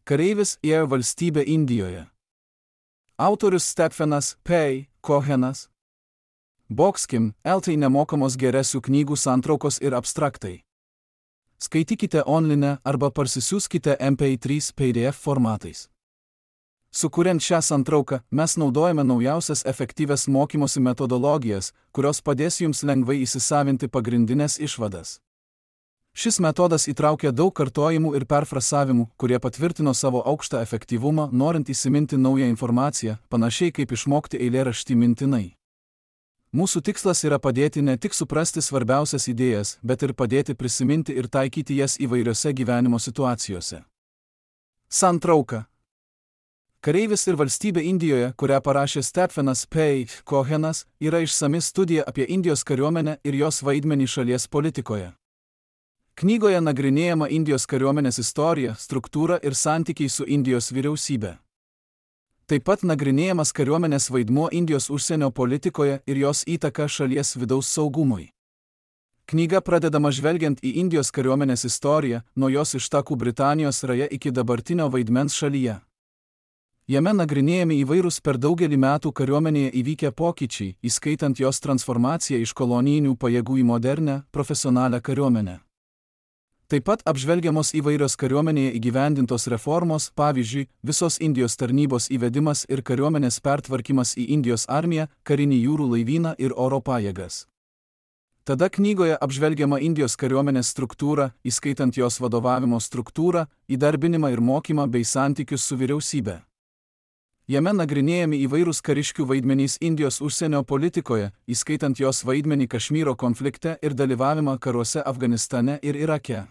Kareivis ėjo valstybę Indijoje. Autorius Stephenas P. Cohenas. Boxkim, LT nemokamos geresių knygų santraukos ir abstraktai. Skaitykite online arba parsisiųskite MP3 PDF formatais. Sukuriant šią santrauką, mes naudojame naujausias efektyvias mokymosi metodologijas, kurios padės jums lengvai įsisavinti pagrindinės išvadas. Šis metodas įtraukia daug kartojimų ir perfrasavimų, kurie patvirtino savo aukštą efektyvumą, norint įsiminti naują informaciją, panašiai kaip išmokti eilėraštį mintinai. Mūsų tikslas yra padėti ne tik suprasti svarbiausias idėjas, bet ir padėti prisiminti ir taikyti jas įvairiose gyvenimo situacijose. Santrauka. Kareivis ir valstybė Indijoje, kurią parašė Stephenas P. Cohenas, yra išsami studija apie Indijos kariuomenę ir jos vaidmenį šalies politikoje. Knygoje nagrinėjama Indijos kariuomenės istorija, struktūra ir santykiai su Indijos vyriausybė. Taip pat nagrinėjamas kariuomenės vaidmuo Indijos užsienio politikoje ir jos įtaka šalies vidaus saugumui. Knyga pradedama žvelgiant į Indijos kariuomenės istoriją, nuo jos ištakų Britanijos raja iki dabartinio vaidmens šalyje. Jame nagrinėjami įvairūs per daugelį metų kariuomenėje įvykę pokyčiai, įskaitant jos transformaciją iš kolonijinių pajėgų į modernę, profesionalią kariuomenę. Taip pat apžvelgiamos įvairios kariuomenėje įgyvendintos reformos, pavyzdžiui, visos Indijos tarnybos įvedimas ir kariuomenės pertvarkymas į Indijos armiją, karinį jūrų laivyną ir oro pajėgas. Tada knygoje apžvelgiama Indijos kariuomenės struktūra, įskaitant jos vadovavimo struktūrą, įdarbinimą ir mokymą bei santykius su vyriausybe. Jame nagrinėjami įvairūs kariškių vaidmenys Indijos užsienio politikoje, įskaitant jos vaidmenį Kašmyro konflikte ir dalyvavimą karuose Afganistane ir Irake.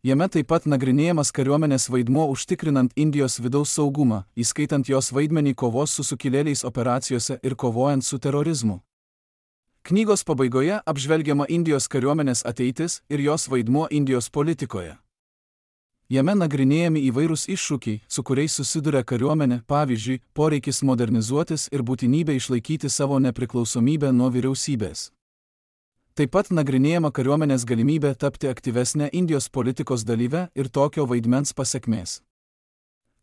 Jame taip pat nagrinėjamas kariuomenės vaidmuo užtikrinant Indijos vidaus saugumą, įskaitant jos vaidmenį kovos su sukilėliais operacijose ir kovojant su terorizmu. Knygos pabaigoje apžvelgiama Indijos kariuomenės ateitis ir jos vaidmuo Indijos politikoje. Jame nagrinėjami įvairūs iššūkiai, su kuriais susiduria kariuomenė, pavyzdžiui, poreikis modernizuotis ir būtinybė išlaikyti savo nepriklausomybę nuo vyriausybės. Taip pat nagrinėjama kariuomenės galimybė tapti aktyvesnė Indijos politikos dalyve ir tokio vaidmens pasekmės.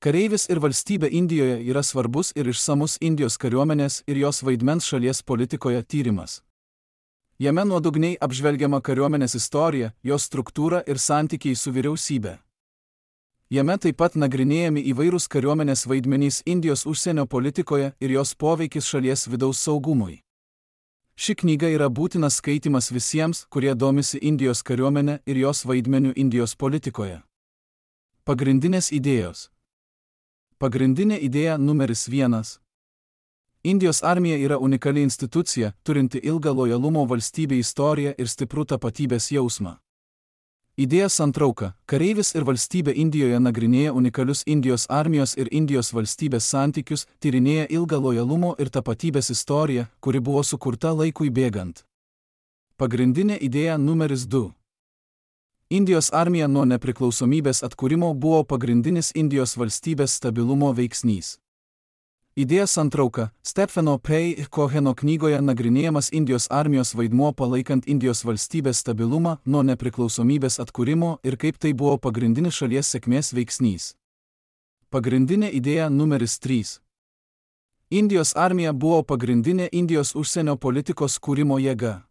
Kareivis ir valstybė Indijoje yra svarbus ir išsamus Indijos kariuomenės ir jos vaidmens šalies politikoje tyrimas. Jame nuodugniai apžvelgiama kariuomenės istorija, jos struktūra ir santykiai su vyriausybė. Jame taip pat nagrinėjami įvairūs kariuomenės vaidmenys Indijos užsienio politikoje ir jos poveikis šalies vidaus saugumui. Ši knyga yra būtinas skaitimas visiems, kurie domisi Indijos kariuomenė ir jos vaidmeniu Indijos politikoje. Pagrindinės idėjos. Pagrindinė idėja numeris 1. Indijos armija yra unikali institucija, turinti ilgą lojalumo valstybei istoriją ir stiprų tapatybės jausmą. Idėja santrauka. Kareivis ir valstybė Indijoje nagrinėja unikalius Indijos armijos ir Indijos valstybės santykius, tyrinėja ilgą lojalumo ir tapatybės istoriją, kuri buvo sukurta laikui bėgant. Pagrindinė idėja numeris 2. Indijos armija nuo nepriklausomybės atkūrimo buvo pagrindinis Indijos valstybės stabilumo veiksnys. Idėja santrauka. Stepheno P. Coheno knygoje nagrinėjamas Indijos armijos vaidmuo palaikant Indijos valstybės stabilumą nuo nepriklausomybės atkūrimo ir kaip tai buvo pagrindinis šalies sėkmės veiksnys. Pagrindinė idėja numeris 3. Indijos armija buvo pagrindinė Indijos užsienio politikos kūrimo jėga.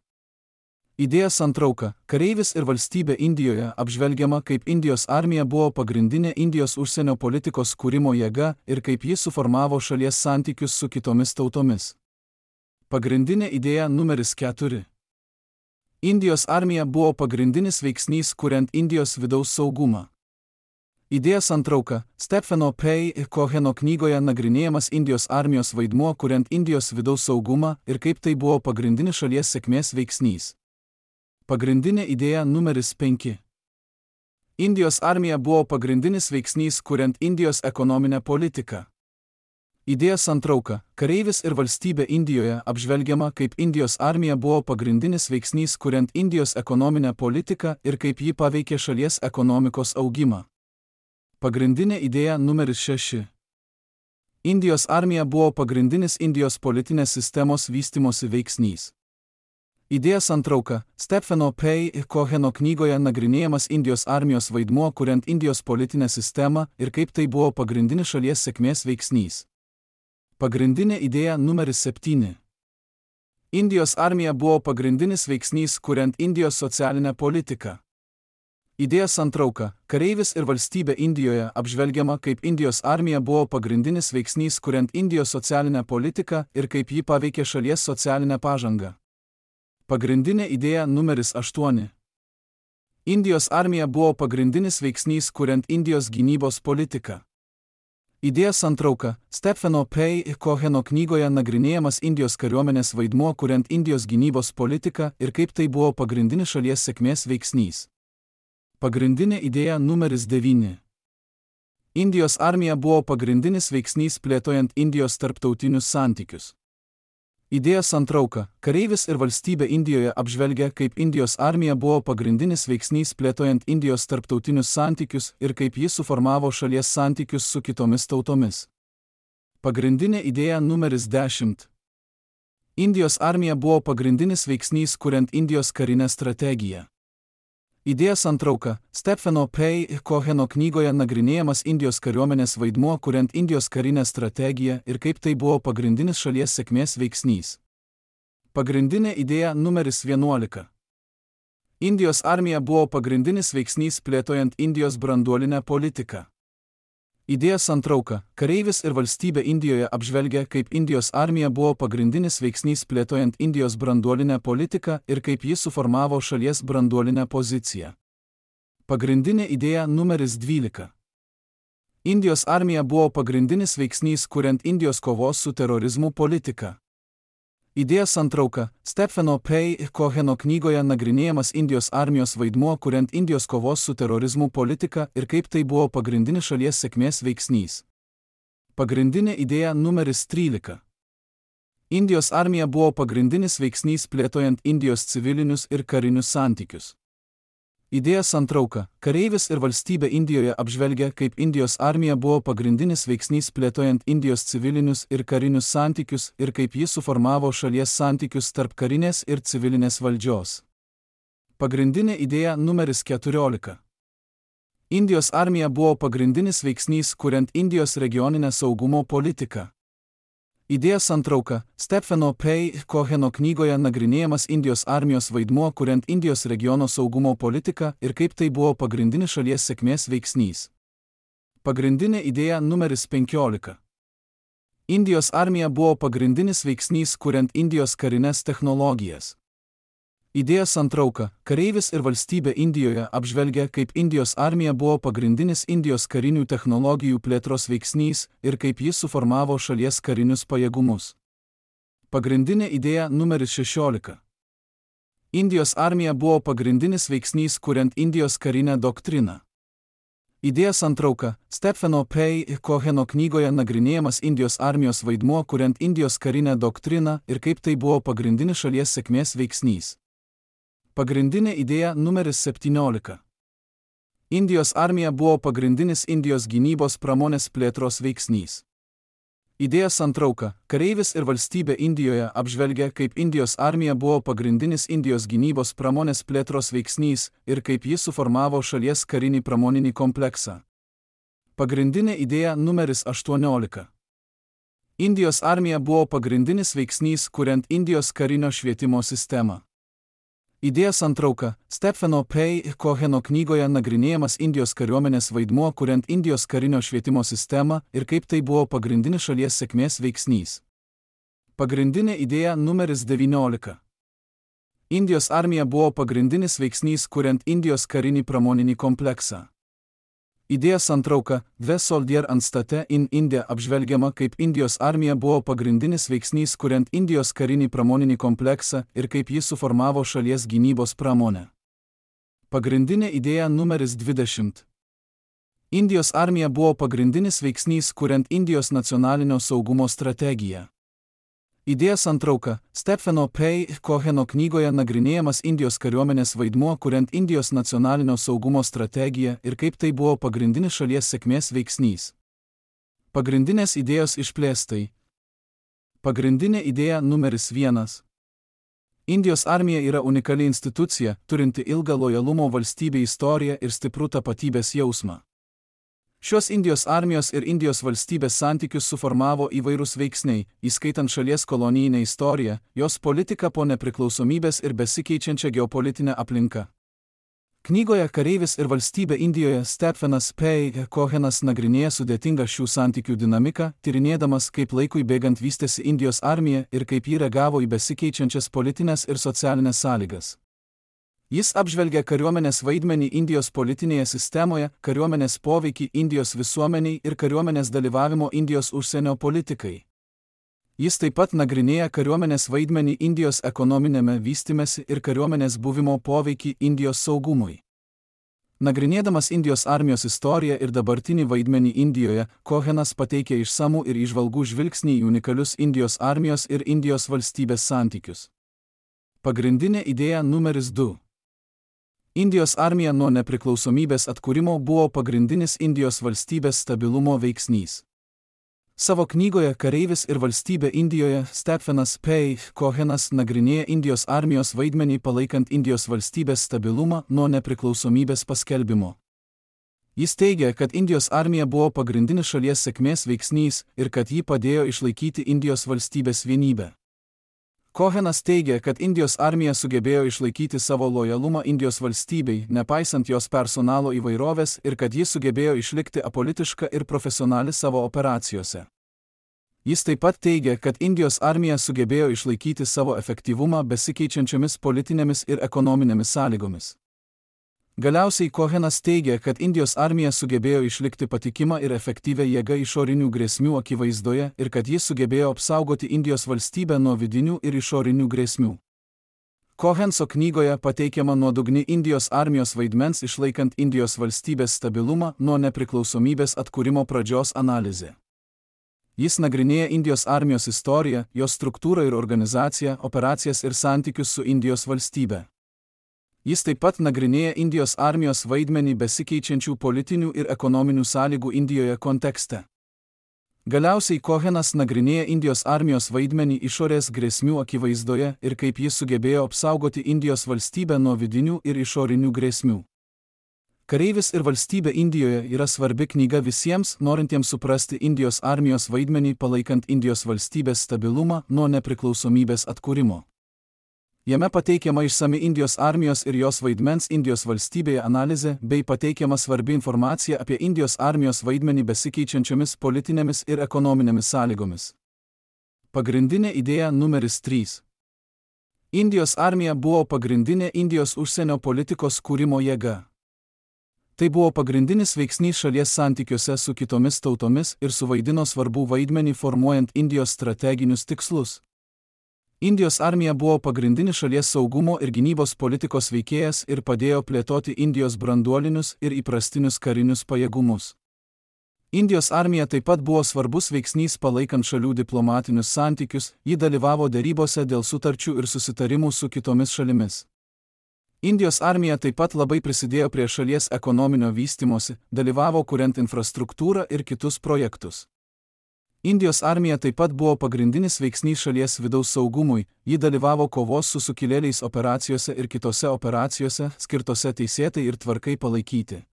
Idėja santrauka. Kareivis ir valstybė Indijoje apžvelgiama, kaip Indijos armija buvo pagrindinė Indijos užsienio politikos kūrimo jėga ir kaip ji suformavo šalies santykius su kitomis tautomis. Pagrindinė idėja numeris 4. Indijos armija buvo pagrindinis veiksnys kuriant Indijos vidaus saugumą. Idėja santrauka. Stepheno P. Coheno knygoje nagrinėjamas Indijos armijos vaidmuo kuriant Indijos vidaus saugumą ir kaip tai buvo pagrindinis šalies sėkmės veiksnys. Pagrindinė idėja numeris 5. Indijos armija buvo pagrindinis veiksnys kuriant Indijos ekonominę politiką. Idėja santrauka. Kareivis ir valstybė Indijoje apžvelgiama, kaip Indijos armija buvo pagrindinis veiksnys kuriant Indijos ekonominę politiką ir kaip ji paveikė šalies ekonomikos augimą. Pagrindinė idėja numeris 6. Indijos armija buvo pagrindinis Indijos politinės sistemos vystymosi veiksnys. Idėja santrauka. Stepheno Pei ir Coheno knygoje nagrinėjamas Indijos armijos vaidmuo kuriant Indijos politinę sistemą ir kaip tai buvo pagrindinis šalies sėkmės veiksnys. Pagrindinė idėja numeris 7. Indijos armija buvo pagrindinis veiksnys kuriant Indijos socialinę politiką. Idėja santrauka. Kareivis ir valstybė Indijoje apžvelgiama kaip Indijos armija buvo pagrindinis veiksnys kuriant Indijos socialinę politiką ir kaip ji paveikė šalies socialinę pažangą. Pagrindinė idėja numeris 8. Indijos armija buvo pagrindinis veiksnys kuriant Indijos gynybos politiką. Idėja santrauka. Stepheno Pei ir Coheno knygoje nagrinėjamas Indijos kariuomenės vaidmuo kuriant Indijos gynybos politiką ir kaip tai buvo pagrindinis šalies sėkmės veiksnys. Pagrindinė idėja numeris 9. Indijos armija buvo pagrindinis veiksnys plėtojant Indijos tarptautinius santykius. Idėja santrauka. Kareivis ir valstybė Indijoje apžvelgia, kaip Indijos armija buvo pagrindinis veiksnys plėtojant Indijos tarptautinius santykius ir kaip ji suformavo šalies santykius su kitomis tautomis. Pagrindinė idėja numeris 10. Indijos armija buvo pagrindinis veiksnys kuriant Indijos karinę strategiją. Idėja santrauka. Stepheno Pei ir Coheno knygoje nagrinėjamas Indijos kariuomenės vaidmuo kuriant Indijos karinę strategiją ir kaip tai buvo pagrindinis šalies sėkmės veiksnys. Pagrindinė idėja numeris 11. Indijos armija buvo pagrindinis veiksnys plėtojant Indijos branduolinę politiką. Idėja santrauka. Kareivis ir valstybė Indijoje apžvelgia, kaip Indijos armija buvo pagrindinis veiksnys plėtojant Indijos branduolinę politiką ir kaip ji suformavo šalies branduolinę poziciją. Pagrindinė idėja numeris 12. Indijos armija buvo pagrindinis veiksnys kuriant Indijos kovos su terorizmu politiką. Idėja santrauka. Stepheno Pei ir Coheno knygoje nagrinėjamas Indijos armijos vaidmuo kuriant Indijos kovos su terorizmu politiką ir kaip tai buvo pagrindinis šalies sėkmės veiksnys. Pagrindinė idėja numeris 13. Indijos armija buvo pagrindinis veiksnys plėtojant Indijos civilinius ir karinius santykius. Idėja santrauka. Kareivis ir valstybė Indijoje apžvelgia, kaip Indijos armija buvo pagrindinis veiksnys plėtojant Indijos civilinius ir karinius santykius ir kaip ji suformavo šalies santykius tarp karinės ir civilinės valdžios. Pagrindinė idėja numeris 14. Indijos armija buvo pagrindinis veiksnys kuriant Indijos regioninę saugumo politiką. Idėja santrauka. Stepheno Pei ir Coheno knygoje nagrinėjamas Indijos armijos vaidmuo kuriant Indijos regiono saugumo politiką ir kaip tai buvo pagrindinis šalies sėkmės veiksnys. Pagrindinė idėja numeris 15. Indijos armija buvo pagrindinis veiksnys kuriant Indijos karines technologijas. Idėja santrauka. Kareivis ir valstybė Indijoje apžvelgia, kaip Indijos armija buvo pagrindinis Indijos karinių technologijų plėtros veiksnys ir kaip jis suformavo šalies karinius pajėgumus. Pagrindinė idėja numeris 16. Indijos armija buvo pagrindinis veiksnys kuriant Indijos karinę doktriną. Idėja santrauka. Stepheno Pei ir Coheno knygoje nagrinėjamas Indijos armijos vaidmuo kuriant Indijos karinę doktriną ir kaip tai buvo pagrindinis šalies sėkmės veiksnys. Pagrindinė idėja numeris 17. Indijos armija buvo pagrindinis Indijos gynybos pramonės plėtros veiksnys. Idėja santrauka. Kareivis ir valstybė Indijoje apžvelgia, kaip Indijos armija buvo pagrindinis Indijos gynybos pramonės plėtros veiksnys ir kaip jis suformavo šalies karinį pramoninį kompleksą. Pagrindinė idėja numeris 18. Indijos armija buvo pagrindinis veiksnys kuriant Indijos karinio švietimo sistemą. Idėja santrauka. Stepheno Pei ir Coheno knygoje nagrinėjamas Indijos kariuomenės vaidmuo kuriant Indijos karinio švietimo sistemą ir kaip tai buvo pagrindinis šalies sėkmės veiksnys. Pagrindinė idėja numeris 19. Indijos armija buvo pagrindinis veiksnys kuriant Indijos karinį pramoninį kompleksą. Idėja santrauka. The Soldier and State in India apžvelgiama, kaip Indijos armija buvo pagrindinis veiksnys kuriant Indijos karinį pramoninį kompleksą ir kaip jis suformavo šalies gynybos pramonę. Pagrindinė idėja numeris 20. Indijos armija buvo pagrindinis veiksnys kuriant Indijos nacionalinio saugumo strategiją. Idėja santrauka. Stepheno Pei ir Coheno knygoje nagrinėjamas Indijos kariuomenės vaidmuo kuriant Indijos nacionalinio saugumo strategiją ir kaip tai buvo pagrindinis šalies sėkmės veiksnys. Pagrindinės idėjos išplėstai. Pagrindinė idėja numeris 1. Indijos armija yra unikali institucija, turinti ilgą lojalumo valstybei istoriją ir stiprų tapatybės jausmą. Šios Indijos armijos ir Indijos valstybės santykius suformavo įvairūs veiksniai, įskaitant šalies kolonijinę istoriją, jos politiką po nepriklausomybės ir besikeičiančią geopolitinę aplinką. Knygoje Kareivis ir valstybė Indijoje Stephenas P. Cohenas nagrinėja sudėtingą šių santykių dinamiką, tyrinėdamas, kaip laikui bėgant vystėsi Indijos armija ir kaip ji reagavo į besikeičiančias politinės ir socialinės sąlygas. Jis apžvelgia kariuomenės vaidmenį Indijos politinėje sistemoje, kariuomenės poveikį Indijos visuomeniai ir kariuomenės dalyvavimo Indijos užsienio politikai. Jis taip pat nagrinėja kariuomenės vaidmenį Indijos ekonominėme vystymesi ir kariuomenės buvimo poveikį Indijos saugumui. Nagrinėdamas Indijos armijos istoriją ir dabartinį vaidmenį Indijoje, Cohenas pateikė išsamų ir įžvalgų žvilgsnį į unikalius Indijos armijos ir Indijos valstybės santykius. Pagrindinė idėja numeris 2. Indijos armija nuo nepriklausomybės atkūrimo buvo pagrindinis Indijos valstybės stabilumo veiksnys. Savo knygoje Kareivis ir valstybė Indijoje Stephenas P. Cohenas nagrinėja Indijos armijos vaidmenį palaikant Indijos valstybės stabilumą nuo nepriklausomybės paskelbimo. Jis teigia, kad Indijos armija buvo pagrindinis šalies sėkmės veiksnys ir kad ji padėjo išlaikyti Indijos valstybės vienybę. Cohenas teigia, kad Indijos armija sugebėjo išlaikyti savo lojalumą Indijos valstybei, nepaisant jos personalo įvairovės ir kad ji sugebėjo išlikti apolitiška ir profesionali savo operacijose. Jis taip pat teigia, kad Indijos armija sugebėjo išlaikyti savo efektyvumą besikeičiančiomis politinėmis ir ekonominėmis sąlygomis. Galiausiai Cohenas teigia, kad Indijos armija sugebėjo išlikti patikimą ir efektyvę jėgą išorinių grėsmių akivaizdoje ir kad jis sugebėjo apsaugoti Indijos valstybę nuo vidinių ir išorinių grėsmių. Cohenso knygoje pateikiama nuodugni Indijos armijos vaidmens išlaikant Indijos valstybės stabilumą nuo nepriklausomybės atkūrimo pradžios analizė. Jis nagrinėja Indijos armijos istoriją, jos struktūrą ir organizaciją, operacijas ir santykius su Indijos valstybe. Jis taip pat nagrinėja Indijos armijos vaidmenį besikeičiančių politinių ir ekonominių sąlygų Indijoje kontekste. Galiausiai Cohenas nagrinėja Indijos armijos vaidmenį išorės grėsmių akivaizdoje ir kaip jis sugebėjo apsaugoti Indijos valstybę nuo vidinių ir išorinių grėsmių. Kareivis ir valstybė Indijoje yra svarbi knyga visiems, norintiems suprasti Indijos armijos vaidmenį palaikant Indijos valstybės stabilumą nuo nepriklausomybės atkūrimo. Jame pateikiama išsami Indijos armijos ir jos vaidmens Indijos valstybėje analizė bei pateikiama svarbi informacija apie Indijos armijos vaidmenį besikeičiančiomis politinėmis ir ekonominėmis sąlygomis. Pagrindinė idėja numeris 3. Indijos armija buvo pagrindinė Indijos užsienio politikos kūrimo jėga. Tai buvo pagrindinis veiksnys šalies santykiuose su kitomis tautomis ir suvaidino svarbų vaidmenį formuojant Indijos strateginius tikslus. Indijos armija buvo pagrindinis šalies saugumo ir gynybos politikos veikėjas ir padėjo plėtoti Indijos branduolinius ir įprastinius karinius pajėgumus. Indijos armija taip pat buvo svarbus veiksnys palaikant šalių diplomatinius santykius, ji dalyvavo derybose dėl sutarčių ir susitarimų su kitomis šalimis. Indijos armija taip pat labai prisidėjo prie šalies ekonominio vystymosi, dalyvavo kuriant infrastruktūrą ir kitus projektus. Indijos armija taip pat buvo pagrindinis veiksnys šalies vidaus saugumui, ji dalyvavo kovos su sukilėliais operacijose ir kitose operacijose, skirtose teisėtai ir tvarkai palaikyti.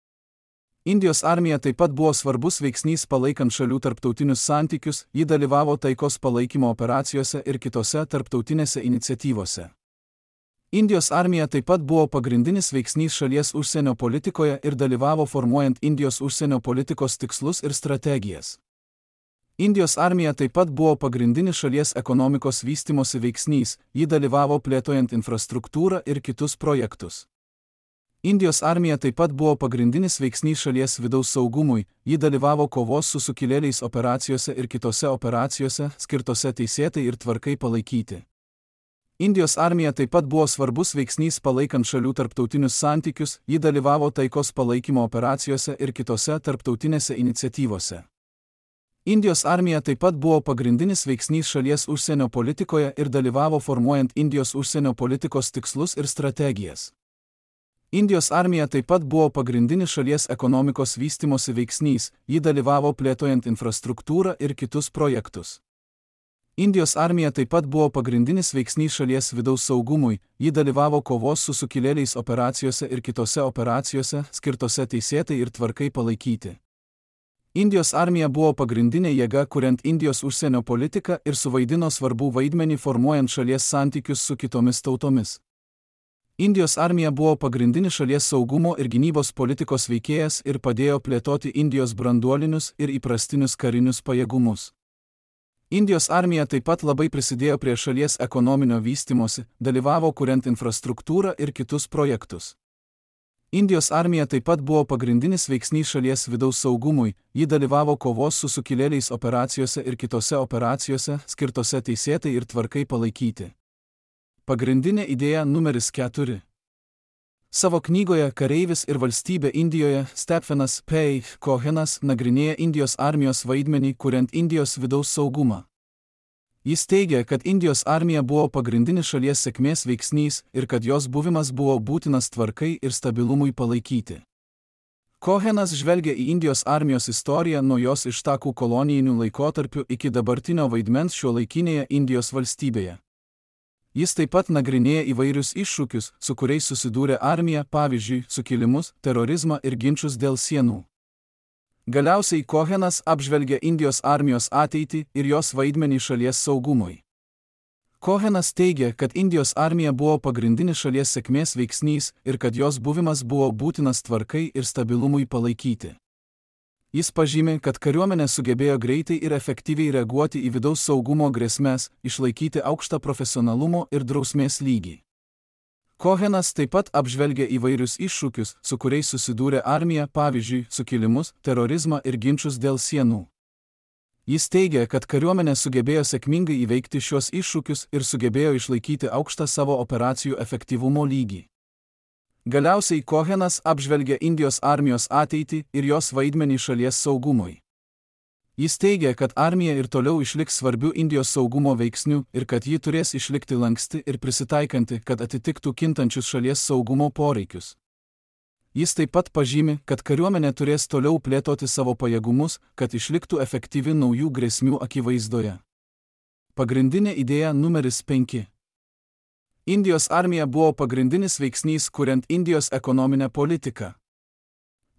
Indijos armija taip pat buvo svarbus veiksnys palaikant šalių tarptautinius santykius, ji dalyvavo taikos palaikymo operacijose ir kitose tarptautinėse iniciatyvose. Indijos armija taip pat buvo pagrindinis veiksnys šalies užsienio politikoje ir dalyvavo formuojant Indijos užsienio politikos tikslus ir strategijas. Indijos armija taip pat buvo pagrindinis šalies ekonomikos vystimosi veiksnys, ji dalyvavo plėtojant infrastruktūrą ir kitus projektus. Indijos armija taip pat buvo pagrindinis veiksnys šalies vidaus saugumui, ji dalyvavo kovos su sukilėliais operacijose ir kitose operacijose, skirtose teisėtai ir tvarkai palaikyti. Indijos armija taip pat buvo svarbus veiksnys palaikant šalių tarptautinius santykius, ji dalyvavo taikos palaikymo operacijose ir kitose tarptautinėse iniciatyvose. Indijos armija taip pat buvo pagrindinis veiksnys šalies užsienio politikoje ir dalyvavo formuojant Indijos užsienio politikos tikslus ir strategijas. Indijos armija taip pat buvo pagrindinis šalies ekonomikos vystimosi veiksnys, ji dalyvavo plėtojant infrastruktūrą ir kitus projektus. Indijos armija taip pat buvo pagrindinis veiksnys šalies vidaus saugumui, ji dalyvavo kovos su sukilėliais operacijose ir kitose operacijose, skirtose teisėtai ir tvarkai palaikyti. Indijos armija buvo pagrindinė jėga kuriant Indijos užsienio politiką ir suvaidino svarbų vaidmenį formuojant šalies santykius su kitomis tautomis. Indijos armija buvo pagrindinis šalies saugumo ir gynybos politikos veikėjas ir padėjo plėtoti Indijos branduolinius ir įprastinius karinius pajėgumus. Indijos armija taip pat labai prisidėjo prie šalies ekonominio vystymosi, dalyvavo kuriant infrastruktūrą ir kitus projektus. Indijos armija taip pat buvo pagrindinis veiksnys šalies vidaus saugumui, ji dalyvavo kovos su sukilėliais operacijose ir kitose operacijose, skirtose teisėtai ir tvarkai palaikyti. Pagrindinė idėja numeris 4. Savo knygoje Kareivis ir valstybė Indijoje Stephenas P. Cohenas nagrinėja Indijos armijos vaidmenį kuriant Indijos vidaus saugumą. Jis teigia, kad Indijos armija buvo pagrindinis šalies sėkmės veiksnys ir kad jos buvimas buvo būtinas tvarkai ir stabilumui palaikyti. Cohenas žvelgia į Indijos armijos istoriją nuo jos ištakų kolonijinių laikotarpių iki dabartinio vaidmens šiuolaikinėje Indijos valstybėje. Jis taip pat nagrinėja įvairius iššūkius, su kuriais susidūrė armija, pavyzdžiui, sukilimus, terorizmą ir ginčus dėl sienų. Galiausiai Cohenas apžvelgia Indijos armijos ateitį ir jos vaidmenį šalies saugumui. Cohenas teigia, kad Indijos armija buvo pagrindinis šalies sėkmės veiksnys ir kad jos buvimas buvo būtinas tvarkai ir stabilumui palaikyti. Jis pažymi, kad kariuomenė sugebėjo greitai ir efektyviai reaguoti į vidaus saugumo grėsmes, išlaikyti aukštą profesionalumo ir drausmės lygį. Cohenas taip pat apžvelgia įvairius iššūkius, su kuriais susidūrė armija, pavyzdžiui, sukilimus, terorizmą ir ginčus dėl sienų. Jis teigia, kad kariuomenė sugebėjo sėkmingai įveikti šios iššūkius ir sugebėjo išlaikyti aukštą savo operacijų efektyvumo lygį. Galiausiai Cohenas apžvelgia Indijos armijos ateitį ir jos vaidmenį šalies saugumui. Jis teigia, kad armija ir toliau išliks svarbiu Indijos saugumo veiksniu ir kad ji turės išlikti lanksti ir prisitaikanti, kad atitiktų kintančius šalies saugumo poreikius. Jis taip pat pažymi, kad kariuomenė turės toliau plėtoti savo pajėgumus, kad išliktų efektyvi naujų grėsmių akivaizdoje. Pagrindinė idėja numeris 5. Indijos armija buvo pagrindinis veiksnys kuriant Indijos ekonominę politiką.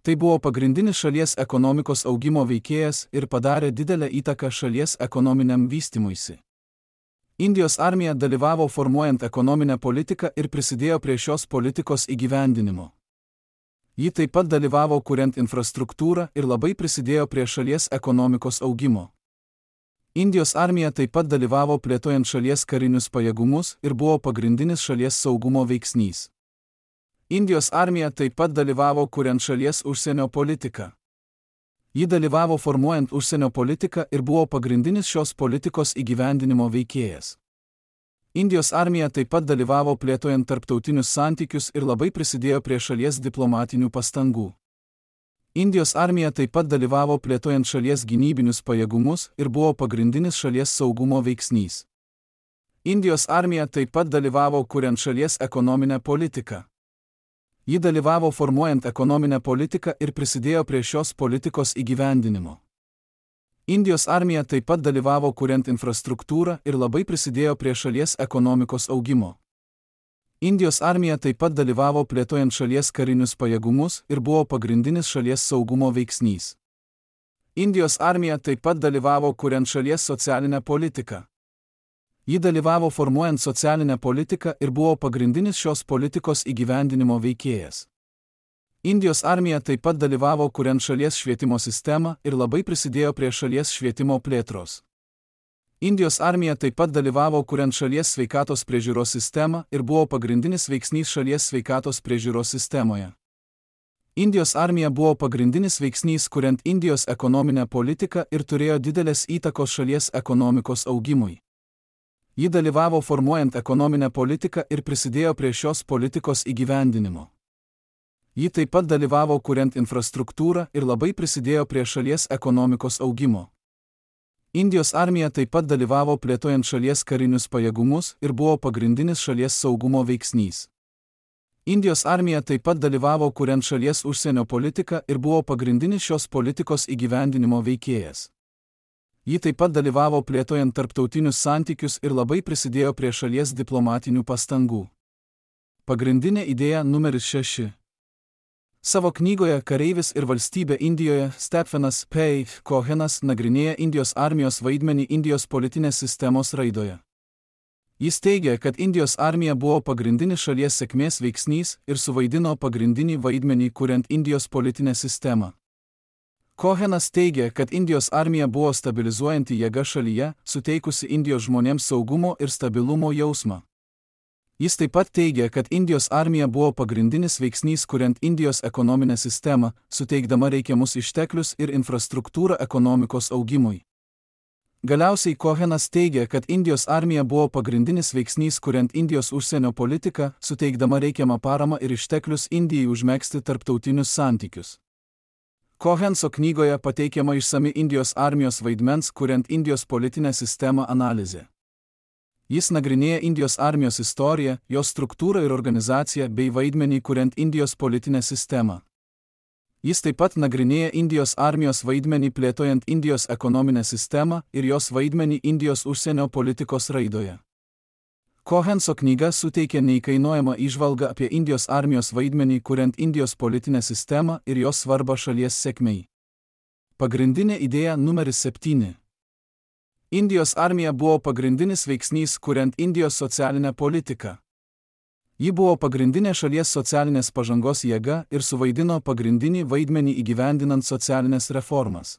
Tai buvo pagrindinis šalies ekonomikos augimo veikėjas ir padarė didelę įtaką šalies ekonominiam vystymuisi. Indijos armija dalyvavo formuojant ekonominę politiką ir prisidėjo prie šios politikos įgyvendinimo. Ji taip pat dalyvavo kuriant infrastruktūrą ir labai prisidėjo prie šalies ekonomikos augimo. Indijos armija taip pat dalyvavo plėtojant šalies karinius pajėgumus ir buvo pagrindinis šalies saugumo veiksnys. Indijos armija taip pat dalyvavo kuriant šalies užsienio politiką. Ji dalyvavo formuojant užsienio politiką ir buvo pagrindinis šios politikos įgyvendinimo veikėjas. Indijos armija taip pat dalyvavo plėtojant tarptautinius santykius ir labai prisidėjo prie šalies diplomatinių pastangų. Indijos armija taip pat dalyvavo plėtojant šalies gynybinius pajėgumus ir buvo pagrindinis šalies saugumo veiksnys. Indijos armija taip pat dalyvavo kuriant šalies ekonominę politiką. Ji dalyvavo formuojant ekonominę politiką ir prisidėjo prie šios politikos įgyvendinimo. Indijos armija taip pat dalyvavo kuriant infrastruktūrą ir labai prisidėjo prie šalies ekonomikos augimo. Indijos armija taip pat dalyvavo plėtojant šalies karinius pajėgumus ir buvo pagrindinis šalies saugumo veiksnys. Indijos armija taip pat dalyvavo kuriant šalies socialinę politiką. Ji dalyvavo formuojant socialinę politiką ir buvo pagrindinis šios politikos įgyvendinimo veikėjas. Indijos armija taip pat dalyvavo kuriant šalies švietimo sistemą ir labai prisidėjo prie šalies švietimo plėtros. Indijos armija taip pat dalyvavo kuriant šalies sveikatos priežiūros sistemą ir buvo pagrindinis veiksnys šalies sveikatos priežiūros sistemoje. Indijos armija buvo pagrindinis veiksnys kuriant Indijos ekonominę politiką ir turėjo didelės įtakos šalies ekonomikos augimui. Ji dalyvavo formuojant ekonominę politiką ir prisidėjo prie šios politikos įgyvendinimo. Ji taip pat dalyvavo kuriant infrastruktūrą ir labai prisidėjo prie šalies ekonomikos augimo. Indijos armija taip pat dalyvavo plėtojant šalies karinius pajėgumus ir buvo pagrindinis šalies saugumo veiksnys. Indijos armija taip pat dalyvavo kuriant šalies užsienio politiką ir buvo pagrindinis šios politikos įgyvendinimo veikėjas. Ji taip pat dalyvavo plėtojant tarptautinius santykius ir labai prisidėjo prie šalies diplomatinių pastangų. Pagrindinė idėja numeris 6. Savo knygoje Kareivis ir valstybė Indijoje Stephenas P. Cohenas nagrinėja Indijos armijos vaidmenį Indijos politinės sistemos raidoje. Jis teigia, kad Indijos armija buvo pagrindinis šalies sėkmės veiksnys ir suvaidino pagrindinį vaidmenį kuriant Indijos politinę sistemą. Cohenas teigia, kad Indijos armija buvo stabilizuojanti jėga šalyje, suteikusi Indijos žmonėms saugumo ir stabilumo jausmą. Jis taip pat teigia, kad Indijos armija buvo pagrindinis veiksnys kuriant Indijos ekonominę sistemą, suteikdama reikiamus išteklius ir infrastruktūrą ekonomikos augimui. Galiausiai Cohenas teigia, kad Indijos armija buvo pagrindinis veiksnys kuriant Indijos užsienio politiką, suteikdama reikiamą paramą ir išteklius Indijai užmegzti tarptautinius santykius. Cohenso knygoje pateikiama išsami Indijos armijos vaidmens kuriant Indijos politinę sistemą analizė. Jis nagrinėja Indijos armijos istoriją, jos struktūrą ir organizaciją bei vaidmenį kuriant Indijos politinę sistemą. Jis taip pat nagrinėja Indijos armijos vaidmenį plėtojant Indijos ekonominę sistemą ir jos vaidmenį Indijos užsienio politikos raidoje. Cohenso knyga suteikia neįkainojamą įžvalgą apie Indijos armijos vaidmenį kuriant Indijos politinę sistemą ir jos svarbą šalies sėkmei. Pagrindinė idėja numeris 7. Indijos armija buvo pagrindinis veiksnys kuriant Indijos socialinę politiką. Ji buvo pagrindinė šalies socialinės pažangos jėga ir suvaidino pagrindinį vaidmenį įgyvendinant socialinės reformas.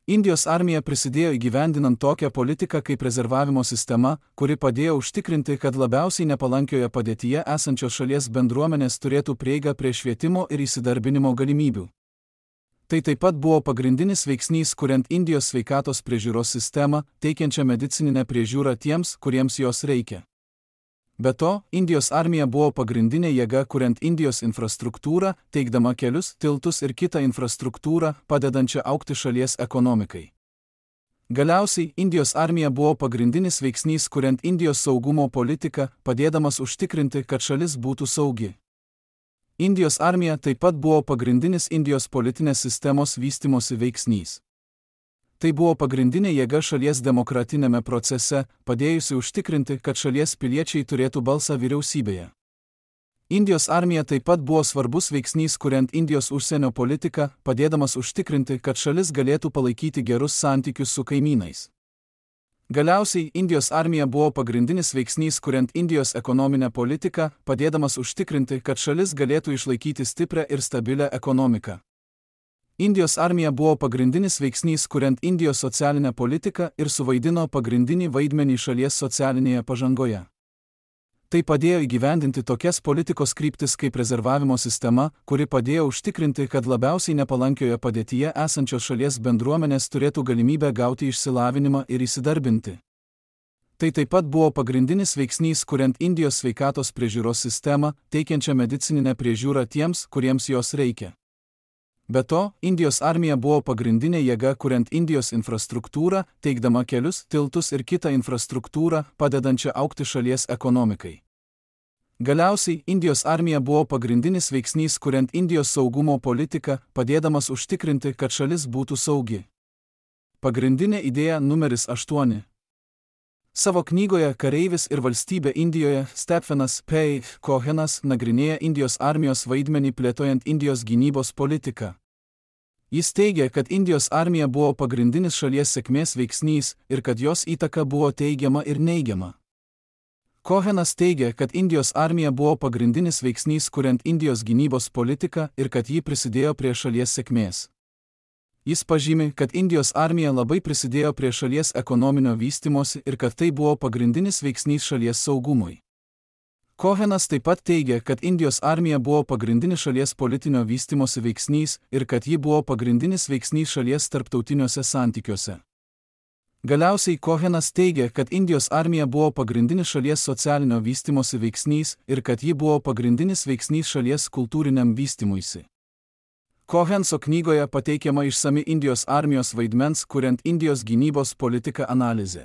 Indijos armija prisidėjo įgyvendinant tokią politiką kaip rezervavimo sistema, kuri padėjo užtikrinti, kad labiausiai nepalankioje padėtyje esančios šalies bendruomenės turėtų prieigą prie švietimo ir įsidarbinimo galimybių. Tai taip pat buvo pagrindinis veiksnys kuriant Indijos sveikatos priežiūros sistemą, teikiančią medicininę priežiūrą tiems, kuriems jos reikia. Be to, Indijos armija buvo pagrindinė jėga kuriant Indijos infrastruktūrą, teikdama kelius, tiltus ir kitą infrastruktūrą, padedančią augti šalies ekonomikai. Galiausiai, Indijos armija buvo pagrindinis veiksnys kuriant Indijos saugumo politiką, padėdamas užtikrinti, kad šalis būtų saugi. Indijos armija taip pat buvo pagrindinis Indijos politinės sistemos vystymosi veiksnys. Tai buvo pagrindinė jėga šalies demokratinėme procese, padėjusi užtikrinti, kad šalies piliečiai turėtų balsą vyriausybėje. Indijos armija taip pat buvo svarbus veiksnys kuriant Indijos užsienio politiką, padėdamas užtikrinti, kad šalis galėtų palaikyti gerus santykius su kaimynais. Galiausiai, Indijos armija buvo pagrindinis veiksnys kuriant Indijos ekonominę politiką, padėdamas užtikrinti, kad šalis galėtų išlaikyti stiprią ir stabilę ekonomiką. Indijos armija buvo pagrindinis veiksnys kuriant Indijos socialinę politiką ir suvaidino pagrindinį vaidmenį šalies socialinėje pažangoje. Tai padėjo įgyvendinti tokias politikos kryptis kaip rezervavimo sistema, kuri padėjo užtikrinti, kad labiausiai nepalankioje padėtyje esančios šalies bendruomenės turėtų galimybę gauti išsilavinimą ir įsidarbinti. Tai taip pat buvo pagrindinis veiksnys kuriant Indijos sveikatos priežiūros sistemą, teikiančią medicininę priežiūrą tiems, kuriems jos reikia. Be to, Indijos armija buvo pagrindinė jėga kuriant Indijos infrastruktūrą, teikdama kelius, tiltus ir kitą infrastruktūrą, padedančią augti šalies ekonomikai. Galiausiai, Indijos armija buvo pagrindinis veiksnys kuriant Indijos saugumo politiką, padėdamas užtikrinti, kad šalis būtų saugi. Pagrindinė idėja numeris 8. Savo knygoje Kareivis ir valstybė Indijoje Stephenas P. Cohenas nagrinėja Indijos armijos vaidmenį plėtojant Indijos gynybos politiką. Jis teigia, kad Indijos armija buvo pagrindinis šalies sėkmės veiksnys ir kad jos įtaka buvo teigiama ir neigiama. Cohenas teigia, kad Indijos armija buvo pagrindinis veiksnys kuriant Indijos gynybos politiką ir kad ji prisidėjo prie šalies sėkmės. Jis pažymi, kad Indijos armija labai prisidėjo prie šalies ekonominio vystymosi ir kad tai buvo pagrindinis veiksnys šalies saugumui. Cohenas taip pat teigia, kad Indijos armija buvo pagrindinis šalies politinio vystymosi veiksnys ir kad ji buvo pagrindinis veiksnys šalies tarptautiniuose santykiuose. Galiausiai Cohenas teigia, kad Indijos armija buvo pagrindinis šalies socialinio vystymosi veiksnys ir kad ji buvo pagrindinis veiksnys šalies kultūriniam vystymuisi. Cohenso knygoje pateikiama išsami Indijos armijos vaidmens kuriant Indijos gynybos politiką analizė.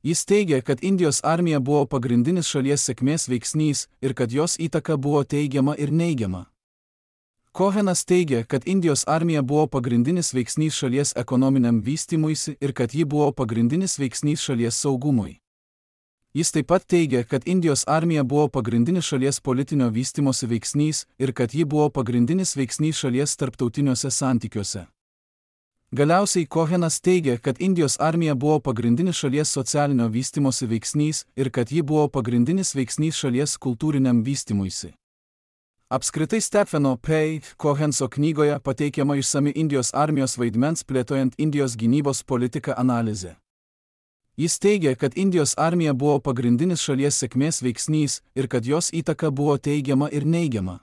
Jis teigia, kad Indijos armija buvo pagrindinis šalies sėkmės veiksnys ir kad jos įtaka buvo teigiama ir neigiama. Cohenas teigia, kad Indijos armija buvo pagrindinis veiksnys šalies ekonominiam vystymuisi ir kad ji buvo pagrindinis veiksnys šalies saugumui. Jis taip pat teigia, kad Indijos armija buvo pagrindinis šalies politinio vystymosi veiksnys ir kad ji buvo pagrindinis veiksnys šalies tarptautiniuose santykiuose. Galiausiai Cohenas teigia, kad Indijos armija buvo pagrindinis šalies socialinio vystymosi veiksnys ir kad ji buvo pagrindinis veiksnys šalies kultūriniam vystymuisi. Apskritai Stepheno P. Cohenso knygoje pateikiama išsami Indijos armijos vaidmens plėtojant Indijos gynybos politiką analizė. Jis teigia, kad Indijos armija buvo pagrindinis šalies sėkmės veiksnys ir kad jos įtaka buvo teigiama ir neigiama.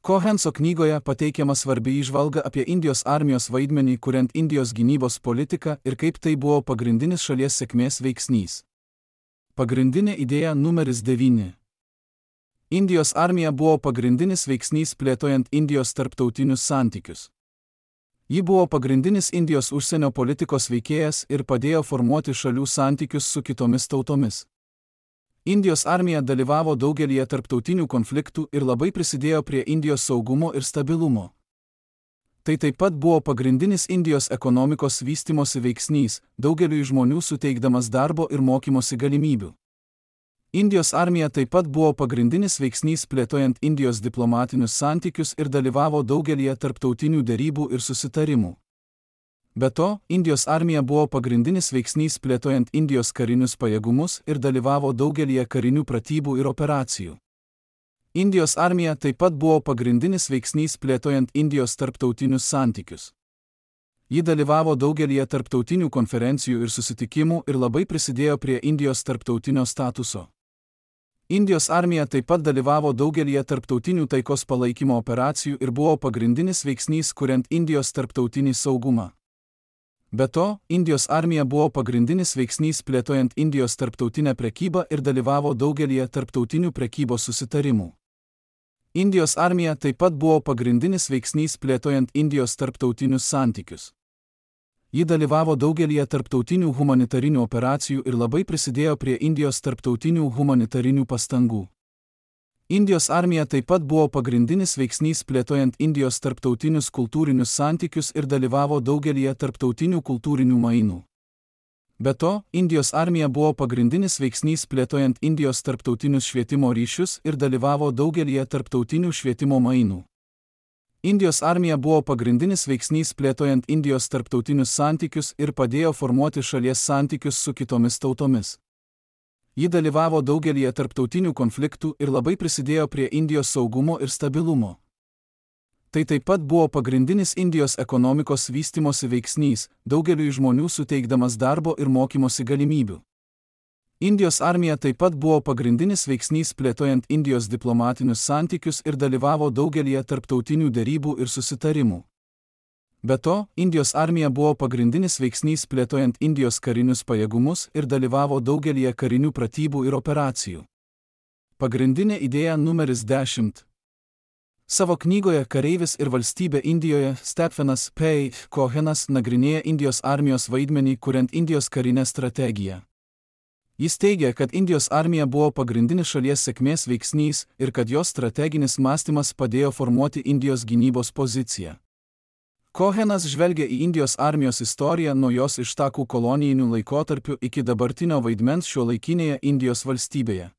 Cohenso knygoje pateikiama svarbi įžvalga apie Indijos armijos vaidmenį kuriant Indijos gynybos politiką ir kaip tai buvo pagrindinis šalies sėkmės veiksnys. Pagrindinė idėja numeris 9. Indijos armija buvo pagrindinis veiksnys plėtojant Indijos tarptautinius santykius. Ji buvo pagrindinis Indijos užsienio politikos veikėjas ir padėjo formuoti šalių santykius su kitomis tautomis. Indijos armija dalyvavo daugelyje tarptautinių konfliktų ir labai prisidėjo prie Indijos saugumo ir stabilumo. Tai taip pat buvo pagrindinis Indijos ekonomikos vystymosi veiksnys, daugeliui žmonių suteikdamas darbo ir mokymosi galimybių. Indijos armija taip pat buvo pagrindinis veiksnys plėtojant Indijos diplomatinius santykius ir dalyvavo daugelyje tarptautinių derybų ir susitarimų. Be to, Indijos armija buvo pagrindinis veiksnys plėtojant Indijos karinius pajėgumus ir dalyvavo daugelyje karinių pratybų ir operacijų. Indijos armija taip pat buvo pagrindinis veiksnys plėtojant Indijos tarptautinius santykius. Ji dalyvavo daugelyje tarptautinių konferencijų ir susitikimų ir labai prisidėjo prie Indijos tarptautinio statuso. Indijos armija taip pat dalyvavo daugelyje tarptautinių taikos palaikymo operacijų ir buvo pagrindinis veiksnys kuriant Indijos tarptautinį saugumą. Be to, Indijos armija buvo pagrindinis veiksnys plėtojant Indijos tarptautinę prekybą ir dalyvavo daugelyje tarptautinių prekybos susitarimų. Indijos armija taip pat buvo pagrindinis veiksnys plėtojant Indijos tarptautinius santykius. Ji dalyvavo daugelyje tarptautinių humanitarinių operacijų ir labai prisidėjo prie Indijos tarptautinių humanitarinių pastangų. Indijos armija taip pat buvo pagrindinis veiksnys plėtojant Indijos tarptautinius kultūrinius santykius ir dalyvavo daugelyje tarptautinių kultūrinių mainų. Be to, Indijos armija buvo pagrindinis veiksnys plėtojant Indijos tarptautinius švietimo ryšius ir dalyvavo daugelyje tarptautinių švietimo mainų. Indijos armija buvo pagrindinis veiksnys plėtojant Indijos tarptautinius santykius ir padėjo formuoti šalies santykius su kitomis tautomis. Ji dalyvavo daugelyje tarptautinių konfliktų ir labai prisidėjo prie Indijos saugumo ir stabilumo. Tai taip pat buvo pagrindinis Indijos ekonomikos vystymosi veiksnys, daugeliui žmonių suteikdamas darbo ir mokymosi galimybių. Indijos armija taip pat buvo pagrindinis veiksnys plėtojant Indijos diplomatinius santykius ir dalyvavo daugelyje tarptautinių derybų ir susitarimų. Be to, Indijos armija buvo pagrindinis veiksnys plėtojant Indijos karinius pajėgumus ir dalyvavo daugelyje karinių pratybų ir operacijų. Pagrindinė idėja numeris 10. Savo knygoje Kareivis ir valstybė Indijoje Stephenas P. Cohenas nagrinėja Indijos armijos vaidmenį kuriant Indijos karinę strategiją. Jis teigia, kad Indijos armija buvo pagrindinis šalies sėkmės veiksnys ir kad jos strateginis mąstymas padėjo formuoti Indijos gynybos poziciją. Cohenas žvelgia į Indijos armijos istoriją nuo jos ištakų kolonijinių laikotarpių iki dabartinio vaidmens šiuolaikinėje Indijos valstybėje.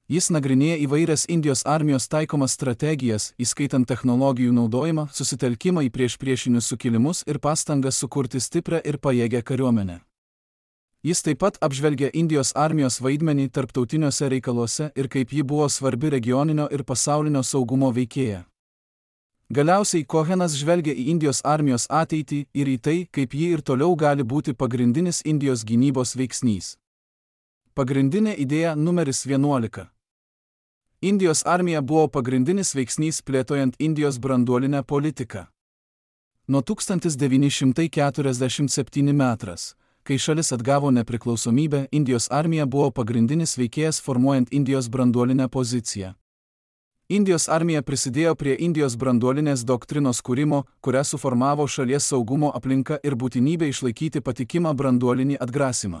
Jis nagrinėja įvairias Indijos armijos taikomas strategijas, įskaitant technologijų naudojimą, susitelkimą į priešpriešinius sukilimus ir pastangas sukurti stiprią ir pajėgią kariuomenę. Jis taip pat apžvelgia Indijos armijos vaidmenį tarptautiniuose reikaluose ir kaip ji buvo svarbi regioninio ir pasaulinio saugumo veikėja. Galiausiai Cohenas žvelgia į Indijos armijos ateitį ir į tai, kaip ji ir toliau gali būti pagrindinis Indijos gynybos veiksnys. Pagrindinė idėja numeris 11. Indijos armija buvo pagrindinis veiksnys plėtojant Indijos branduolinę politiką. Nuo 1947 metras, kai šalis atgavo nepriklausomybę, Indijos armija buvo pagrindinis veikėjas formuojant Indijos branduolinę poziciją. Indijos armija prisidėjo prie Indijos branduolinės doktrinos kūrimo, kurią suformavo šalies saugumo aplinka ir būtinybė išlaikyti patikimą branduolinį atgrasymą.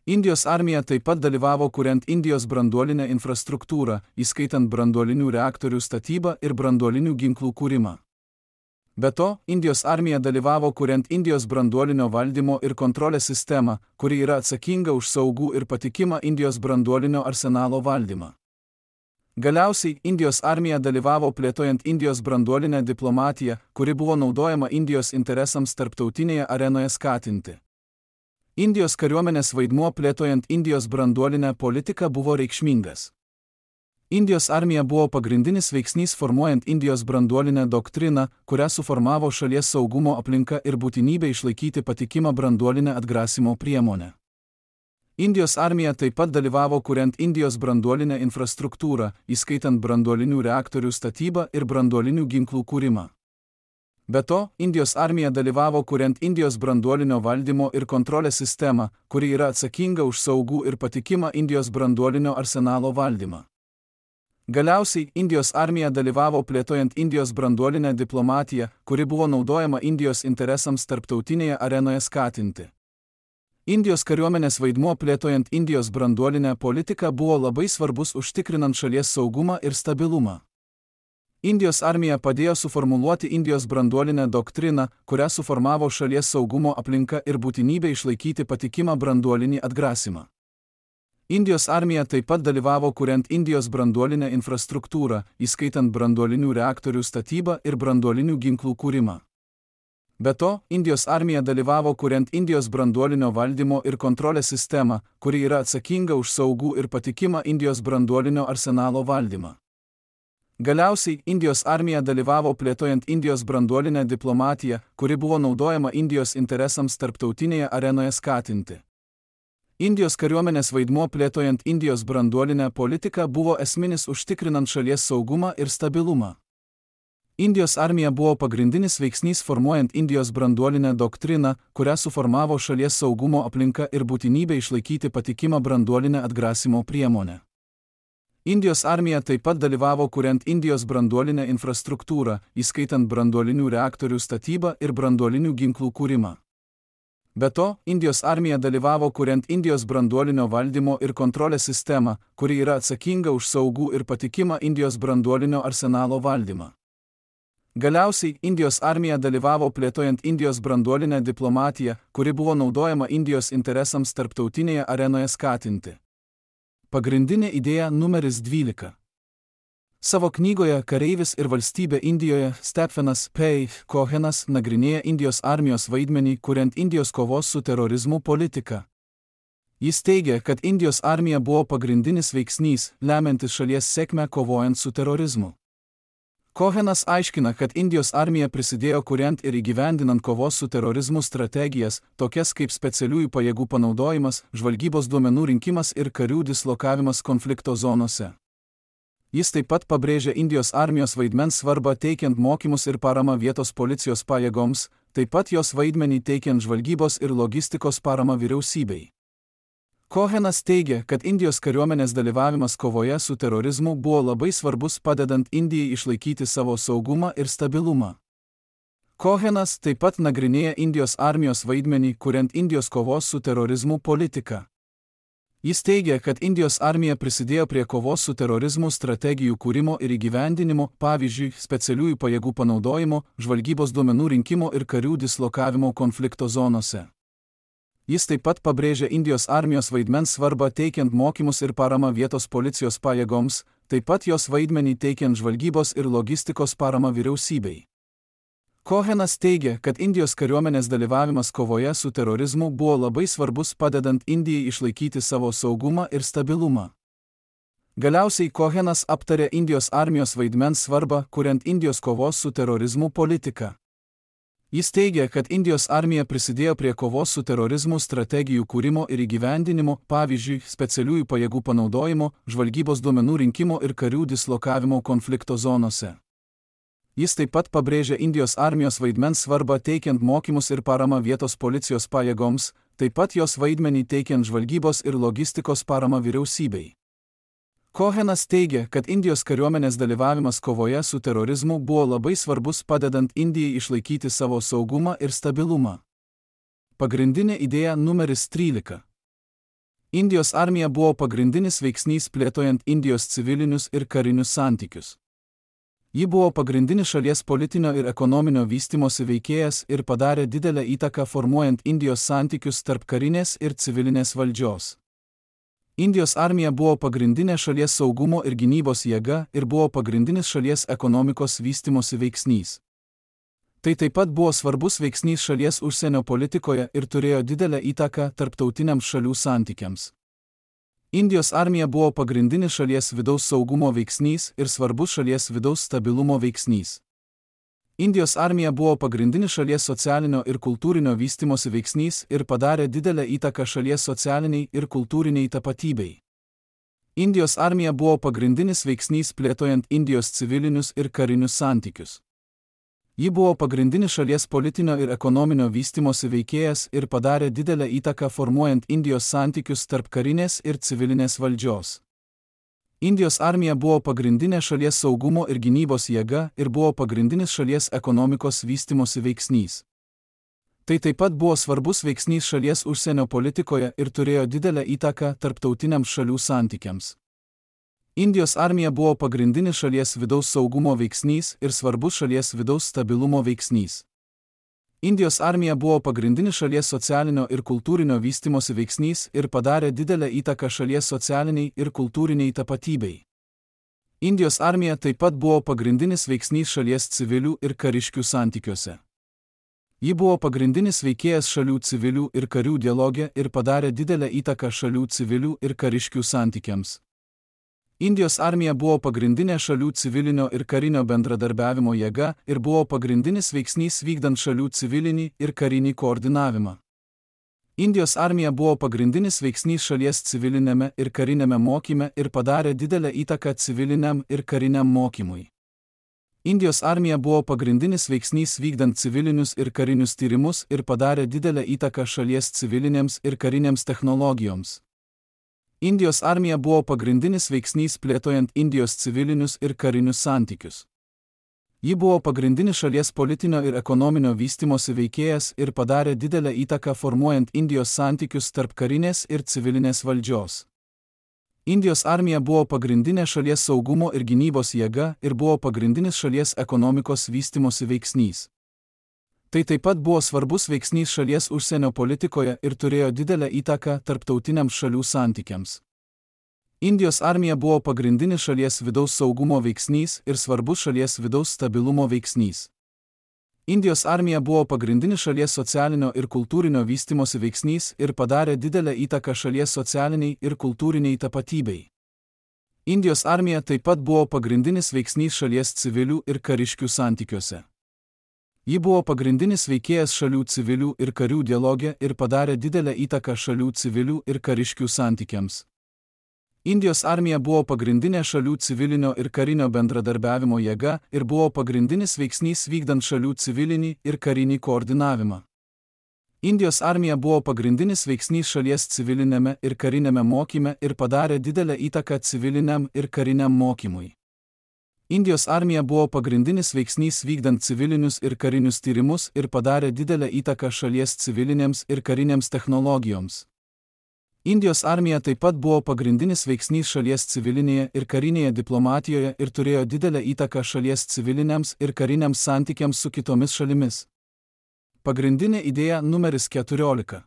Indijos armija taip pat dalyvavo kuriant Indijos branduolinę infrastruktūrą, įskaitant branduolinių reaktorių statybą ir branduolinių ginklų kūrimą. Be to, Indijos armija dalyvavo kuriant Indijos branduolinio valdymo ir kontrolės sistemą, kuri yra atsakinga už saugų ir patikimą Indijos branduolinio arsenalo valdymą. Galiausiai, Indijos armija dalyvavo plėtojant Indijos branduolinę diplomatiją, kuri buvo naudojama Indijos interesams tarptautinėje arenoje skatinti. Indijos kariuomenės vaidmuo plėtojant Indijos branduolinę politiką buvo reikšmingas. Indijos armija buvo pagrindinis veiksnys formuojant Indijos branduolinę doktriną, kurią suformavo šalies saugumo aplinka ir būtinybė išlaikyti patikimą branduolinę atgrasimo priemonę. Indijos armija taip pat dalyvavo kuriant Indijos branduolinę infrastruktūrą, įskaitant branduolinių reaktorių statybą ir branduolinių ginklų kūrimą. Be to, Indijos armija dalyvavo kuriant Indijos branduolinio valdymo ir kontrolės sistemą, kuri yra atsakinga už saugų ir patikimą Indijos branduolinio arsenalo valdymą. Galiausiai, Indijos armija dalyvavo plėtojant Indijos branduolinę diplomatiją, kuri buvo naudojama Indijos interesams tarptautinėje arenoje skatinti. Indijos kariuomenės vaidmuo plėtojant Indijos branduolinę politiką buvo labai svarbus užtikrinant šalies saugumą ir stabilumą. Indijos armija padėjo suformuluoti Indijos branduolinę doktriną, kurią suformavo šalies saugumo aplinka ir būtinybė išlaikyti patikimą branduolinį atgrasymą. Indijos armija taip pat dalyvavo kuriant Indijos branduolinę infrastruktūrą, įskaitant branduolinių reaktorių statybą ir branduolinių ginklų kūrimą. Be to, Indijos armija dalyvavo kuriant Indijos branduolinio valdymo ir kontrolės sistemą, kuri yra atsakinga už saugų ir patikimą Indijos branduolinio arsenalo valdymą. Galiausiai, Indijos armija dalyvavo plėtojant Indijos branduolinę diplomatiją, kuri buvo naudojama Indijos interesams tarptautinėje arenoje skatinti. Indijos kariuomenės vaidmuo plėtojant Indijos branduolinę politiką buvo esminis užtikrinant šalies saugumą ir stabilumą. Indijos armija buvo pagrindinis veiksnys formuojant Indijos branduolinę doktriną, kurią suformavo šalies saugumo aplinka ir būtinybė išlaikyti patikimą branduolinę atgrasimo priemonę. Indijos armija taip pat dalyvavo kuriant Indijos branduolinę infrastruktūrą, įskaitant branduolinių reaktorių statybą ir branduolinių ginklų kūrimą. Be to, Indijos armija dalyvavo kuriant Indijos branduolinio valdymo ir kontrolės sistemą, kuri yra atsakinga už saugų ir patikimą Indijos branduolinio arsenalo valdymą. Galiausiai, Indijos armija dalyvavo plėtojant Indijos branduolinę diplomatiją, kuri buvo naudojama Indijos interesams tarptautinėje arenoje skatinti. Pagrindinė idėja numeris 12. Savo knygoje Kareivis ir valstybė Indijoje Stephenas P. Cohenas nagrinėja Indijos armijos vaidmenį kuriant Indijos kovos su terorizmu politiką. Jis teigia, kad Indijos armija buvo pagrindinis veiksnys, lemiantis šalies sėkmę kovojant su terorizmu. Cohenas aiškina, kad Indijos armija prisidėjo kuriant ir įgyvendinant kovos su terorizmu strategijas, tokias kaip specialiųjų pajėgų panaudojimas, žvalgybos duomenų rinkimas ir karių dislokavimas konflikto zonose. Jis taip pat pabrėžia Indijos armijos vaidmens svarbą teikiant mokymus ir paramą vietos policijos pajėgoms, taip pat jos vaidmenį teikiant žvalgybos ir logistikos paramą vyriausybei. Cohenas teigia, kad Indijos kariuomenės dalyvavimas kovoje su terorizmu buvo labai svarbus padedant Indijai išlaikyti savo saugumą ir stabilumą. Cohenas taip pat nagrinėja Indijos armijos vaidmenį kuriant Indijos kovos su terorizmu politiką. Jis teigia, kad Indijos armija prisidėjo prie kovos su terorizmu strategijų kūrimo ir įgyvendinimo, pavyzdžiui, specialiųjų pajėgų panaudojimo, žvalgybos duomenų rinkimo ir karių dislokavimo konflikto zonose. Jis taip pat pabrėžia Indijos armijos vaidmens svarbą teikiant mokymus ir paramą vietos policijos pajėgoms, taip pat jos vaidmenį teikiant žvalgybos ir logistikos paramą vyriausybei. Cohenas teigia, kad Indijos kariuomenės dalyvavimas kovoje su terorizmu buvo labai svarbus padedant Indijai išlaikyti savo saugumą ir stabilumą. Galiausiai Cohenas aptarė Indijos armijos vaidmens svarbą kuriant Indijos kovos su terorizmu politiką. Jis teigia, kad Indijos armija prisidėjo prie kovos su terorizmu strategijų kūrimo ir įgyvendinimo, pavyzdžiui, specialiųjų pajėgų panaudojimo, žvalgybos duomenų rinkimo ir karių dislokavimo konflikto zonose. Jis taip pat pabrėžia Indijos armijos vaidmens svarbą teikiant mokymus ir paramą vietos policijos pajėgoms, taip pat jos vaidmenį teikiant žvalgybos ir logistikos paramą vyriausybei. Cohenas teigia, kad Indijos kariuomenės dalyvavimas kovoje su terorizmu buvo labai svarbus padedant Indijai išlaikyti savo saugumą ir stabilumą. Pagrindinė idėja numeris 13. Indijos armija buvo pagrindinis veiksnys plėtojant Indijos civilinius ir karinius santykius. Ji buvo pagrindinis šalies politinio ir ekonominio vystymosi veikėjas ir padarė didelę įtaką formuojant Indijos santykius tarp karinės ir civilinės valdžios. Indijos armija buvo pagrindinė šalies saugumo ir gynybos jėga ir buvo pagrindinis šalies ekonomikos vystymosi veiksnys. Tai taip pat buvo svarbus veiksnys šalies užsienio politikoje ir turėjo didelę įtaką tarptautiniams šalių santykiams. Indijos armija buvo pagrindinis šalies vidaus saugumo veiksnys ir svarbus šalies vidaus stabilumo veiksnys. Indijos armija buvo pagrindinis šalies socialinio ir kultūrinio vystymosi veiksnys ir padarė didelę įtaką šalies socialiniai ir kultūriniai tapatybei. Indijos armija buvo pagrindinis veiksnys plėtojant Indijos civilinius ir karinius santykius. Ji buvo pagrindinis šalies politinio ir ekonominio vystymosi veikėjas ir padarė didelę įtaką formuojant Indijos santykius tarp karinės ir civilinės valdžios. Indijos armija buvo pagrindinė šalies saugumo ir gynybos jėga ir buvo pagrindinis šalies ekonomikos vystymosi veiksnys. Tai taip pat buvo svarbus veiksnys šalies užsienio politikoje ir turėjo didelę įtaką tarptautiniams šalių santykiams. Indijos armija buvo pagrindinis šalies vidaus saugumo veiksnys ir svarbus šalies vidaus stabilumo veiksnys. Indijos armija buvo pagrindinis šalies socialinio ir kultūrinio vystymosi veiksnys ir padarė didelę įtaką šalies socialiniai ir kultūriniai tapatybei. Indijos armija taip pat buvo pagrindinis veiksnys šalies civilių ir kariškių santykiuose. Ji buvo pagrindinis veikėjas šalių civilių ir karių dialoge ir padarė didelę įtaką šalių civilių ir kariškių santykiams. Indijos armija buvo pagrindinė šalių civilinio ir karinio bendradarbiavimo jėga ir buvo pagrindinis veiksnys vykdant šalių civilinį ir karinį koordinavimą. Indijos armija buvo pagrindinis veiksnys šalies civilinėme ir karinėme mokyme ir padarė didelę įtaką civiliniam ir kariniam mokymui. Indijos armija buvo pagrindinis veiksnys vykdant civilinius ir karinius tyrimus ir padarė didelę įtaką šalies civilinėms ir karinėms technologijoms. Indijos armija buvo pagrindinis veiksnys plėtojant Indijos civilinius ir karinius santykius. Ji buvo pagrindinis šalies politinio ir ekonominio vystymosi veikėjas ir padarė didelę įtaką formuojant Indijos santykius tarp karinės ir civilinės valdžios. Indijos armija buvo pagrindinė šalies saugumo ir gynybos jėga ir buvo pagrindinis šalies ekonomikos vystymosi veiksnys. Tai taip pat buvo svarbus veiksnys šalies užsienio politikoje ir turėjo didelę įtaką tarptautiniams šalių santykiams. Indijos armija buvo pagrindinis šalies vidaus saugumo veiksnys ir svarbus šalies vidaus stabilumo veiksnys. Indijos armija buvo pagrindinis šalies socialinio ir kultūrinio vystymosi veiksnys ir padarė didelę įtaką šalies socialiniai ir kultūriniai tapatybei. Indijos armija taip pat buvo pagrindinis veiksnys šalies civilių ir kariškių santykiuose. Ji buvo pagrindinis veikėjas šalių civilių ir karių dialoge ir padarė didelę įtaką šalių civilių ir kariškių santykiams. Indijos armija buvo pagrindinė šalių civilinio ir karinio bendradarbiavimo jėga ir buvo pagrindinis veiksnys vykdant šalių civilinį ir karinį koordinavimą. Indijos armija buvo pagrindinis veiksnys šalies civilinėme ir karinėme mokyme ir padarė didelę įtaką civiliniam ir kariniam mokymui. Indijos armija buvo pagrindinis veiksnys vykdant civilinius ir karinius tyrimus ir padarė didelę įtaką šalies civilinėms ir karinėms technologijoms. Indijos armija taip pat buvo pagrindinis veiksnys šalies civilinėje ir karinėje diplomatijoje ir turėjo didelę įtaką šalies civiliniams ir kariniams santykiams su kitomis šalimis. Pagrindinė idėja numeris 14.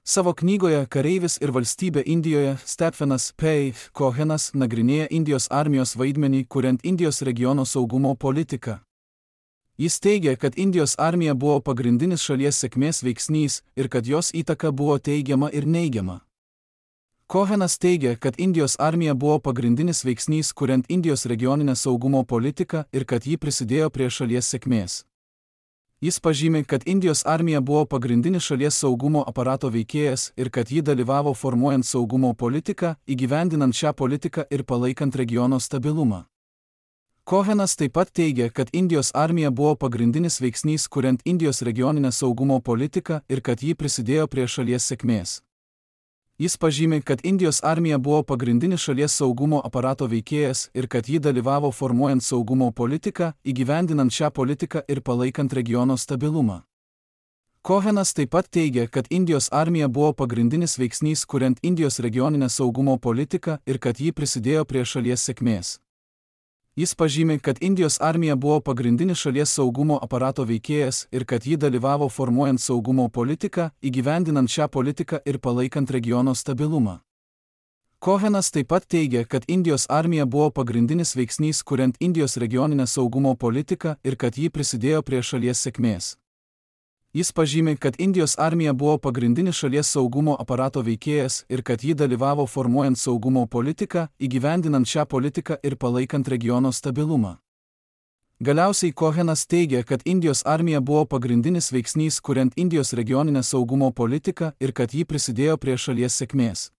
Savo knygoje Kareivis ir valstybė Indijoje Stephenas P. Cohenas nagrinėja Indijos armijos vaidmenį kuriant Indijos regiono saugumo politiką. Jis teigia, kad Indijos armija buvo pagrindinis šalies sėkmės veiksnys ir kad jos įtaka buvo teigiama ir neigiama. Cohenas teigia, kad Indijos armija buvo pagrindinis veiksnys kuriant Indijos regioninę saugumo politiką ir kad ji prisidėjo prie šalies sėkmės. Jis pažymi, kad Indijos armija buvo pagrindinis šalies saugumo aparato veikėjas ir kad ji dalyvavo formuojant saugumo politiką, įgyvendinant šią politiką ir palaikant regiono stabilumą. Cohenas taip pat teigia, kad Indijos armija buvo pagrindinis šalies saugumo aparato veikėjas ir kad ji dalyvavo formuojant saugumo politiką, įgyvendinant šią politiką ir palaikant regiono stabilumą. Indijos armija buvo pagrindinis veiksnys kuriant Indijos regioninę saugumo politiką ir kad ji prisidėjo prie šalies sėkmės. Jis pažymi, kad Indijos armija buvo pagrindinis šalies saugumo aparato veikėjas ir kad ji dalyvavo formuojant saugumo politiką, įgyvendinant šią politiką ir palaikant regiono stabilumą. Cohenas taip pat teigia, kad Indijos armija buvo pagrindinis veiksnys kuriant Indijos regioninę saugumo politiką ir kad ji prisidėjo prie šalies sėkmės. Jis pažymi, kad Indijos armija buvo pagrindinis šalies saugumo aparato veikėjas ir kad ji dalyvavo formuojant saugumo politiką, įgyvendinant šią politiką ir palaikant regiono stabilumą. Cohenas taip pat teigia, kad Indijos armija buvo pagrindinis veiksnys kuriant Indijos regioninę saugumo politiką ir kad ji prisidėjo prie šalies sėkmės. Jis pažymi, kad Indijos armija buvo pagrindinis šalies saugumo aparato veikėjas ir kad ji dalyvavo formuojant saugumo politiką, įgyvendinant šią politiką ir palaikant regiono stabilumą. Galiausiai Cohenas teigia, kad Indijos armija buvo pagrindinis veiksnys kuriant Indijos regioninę saugumo politiką ir kad ji prisidėjo prie šalies sėkmės.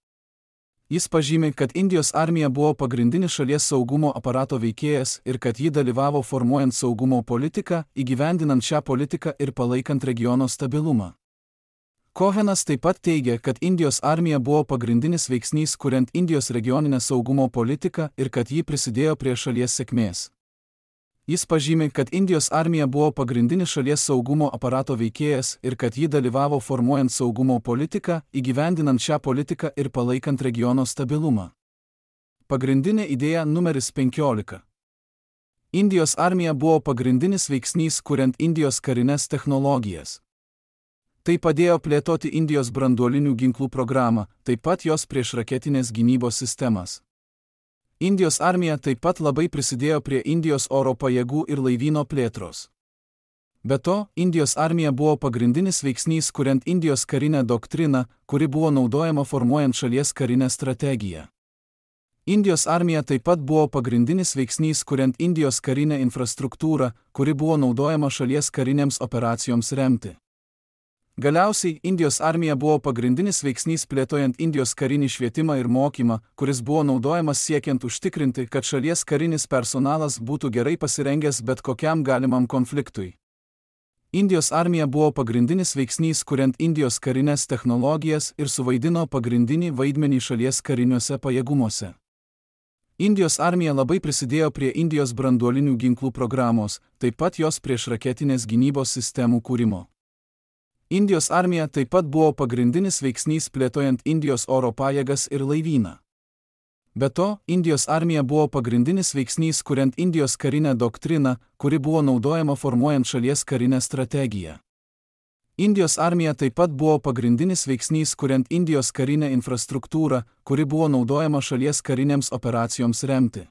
Jis pažymi, kad Indijos armija buvo pagrindinis šalies saugumo aparato veikėjas ir kad ji dalyvavo formuojant saugumo politiką, įgyvendinant šią politiką ir palaikant regiono stabilumą. Cohenas taip pat teigia, kad Indijos armija buvo pagrindinis veiksnys kuriant Indijos regioninę saugumo politiką ir kad ji prisidėjo prie šalies sėkmės. Jis pažymi, kad Indijos armija buvo pagrindinis šalies saugumo aparato veikėjas ir kad ji dalyvavo formuojant saugumo politiką, įgyvendinant šią politiką ir palaikant regiono stabilumą. Pagrindinė idėja numeris 15. Indijos armija buvo pagrindinis veiksnys kuriant Indijos karines technologijas. Tai padėjo plėtoti Indijos branduolinių ginklų programą, taip pat jos priešraketinės gynybos sistemas. Indijos armija taip pat labai prisidėjo prie Indijos oro pajėgų ir laivyno plėtros. Be to, Indijos armija buvo pagrindinis veiksnys kuriant Indijos karinę doktriną, kuri buvo naudojama formuojant šalies karinę strategiją. Indijos armija taip pat buvo pagrindinis veiksnys kuriant Indijos karinę infrastruktūrą, kuri buvo naudojama šalies karinėms operacijoms remti. Galiausiai, Indijos armija buvo pagrindinis veiksnys plėtojant Indijos karinį švietimą ir mokymą, kuris buvo naudojamas siekiant užtikrinti, kad šalies karinis personalas būtų gerai pasirengęs bet kokiam galimam konfliktui. Indijos armija buvo pagrindinis veiksnys kuriant Indijos karinės technologijas ir suvaidino pagrindinį vaidmenį šalies kariniuose pajėgumuose. Indijos armija labai prisidėjo prie Indijos branduolinių ginklų programos, taip pat jos priešraketinės gynybos sistemų kūrimo. Indijos armija taip pat buvo pagrindinis veiksnys plėtojant Indijos oro pajėgas ir laivyną. Be to, Indijos armija buvo pagrindinis veiksnys kuriant Indijos karinę doktriną, kuri buvo naudojama formuojant šalies karinę strategiją. Indijos armija taip pat buvo pagrindinis veiksnys kuriant Indijos karinę infrastruktūrą, kuri buvo naudojama šalies karinėms operacijoms remti.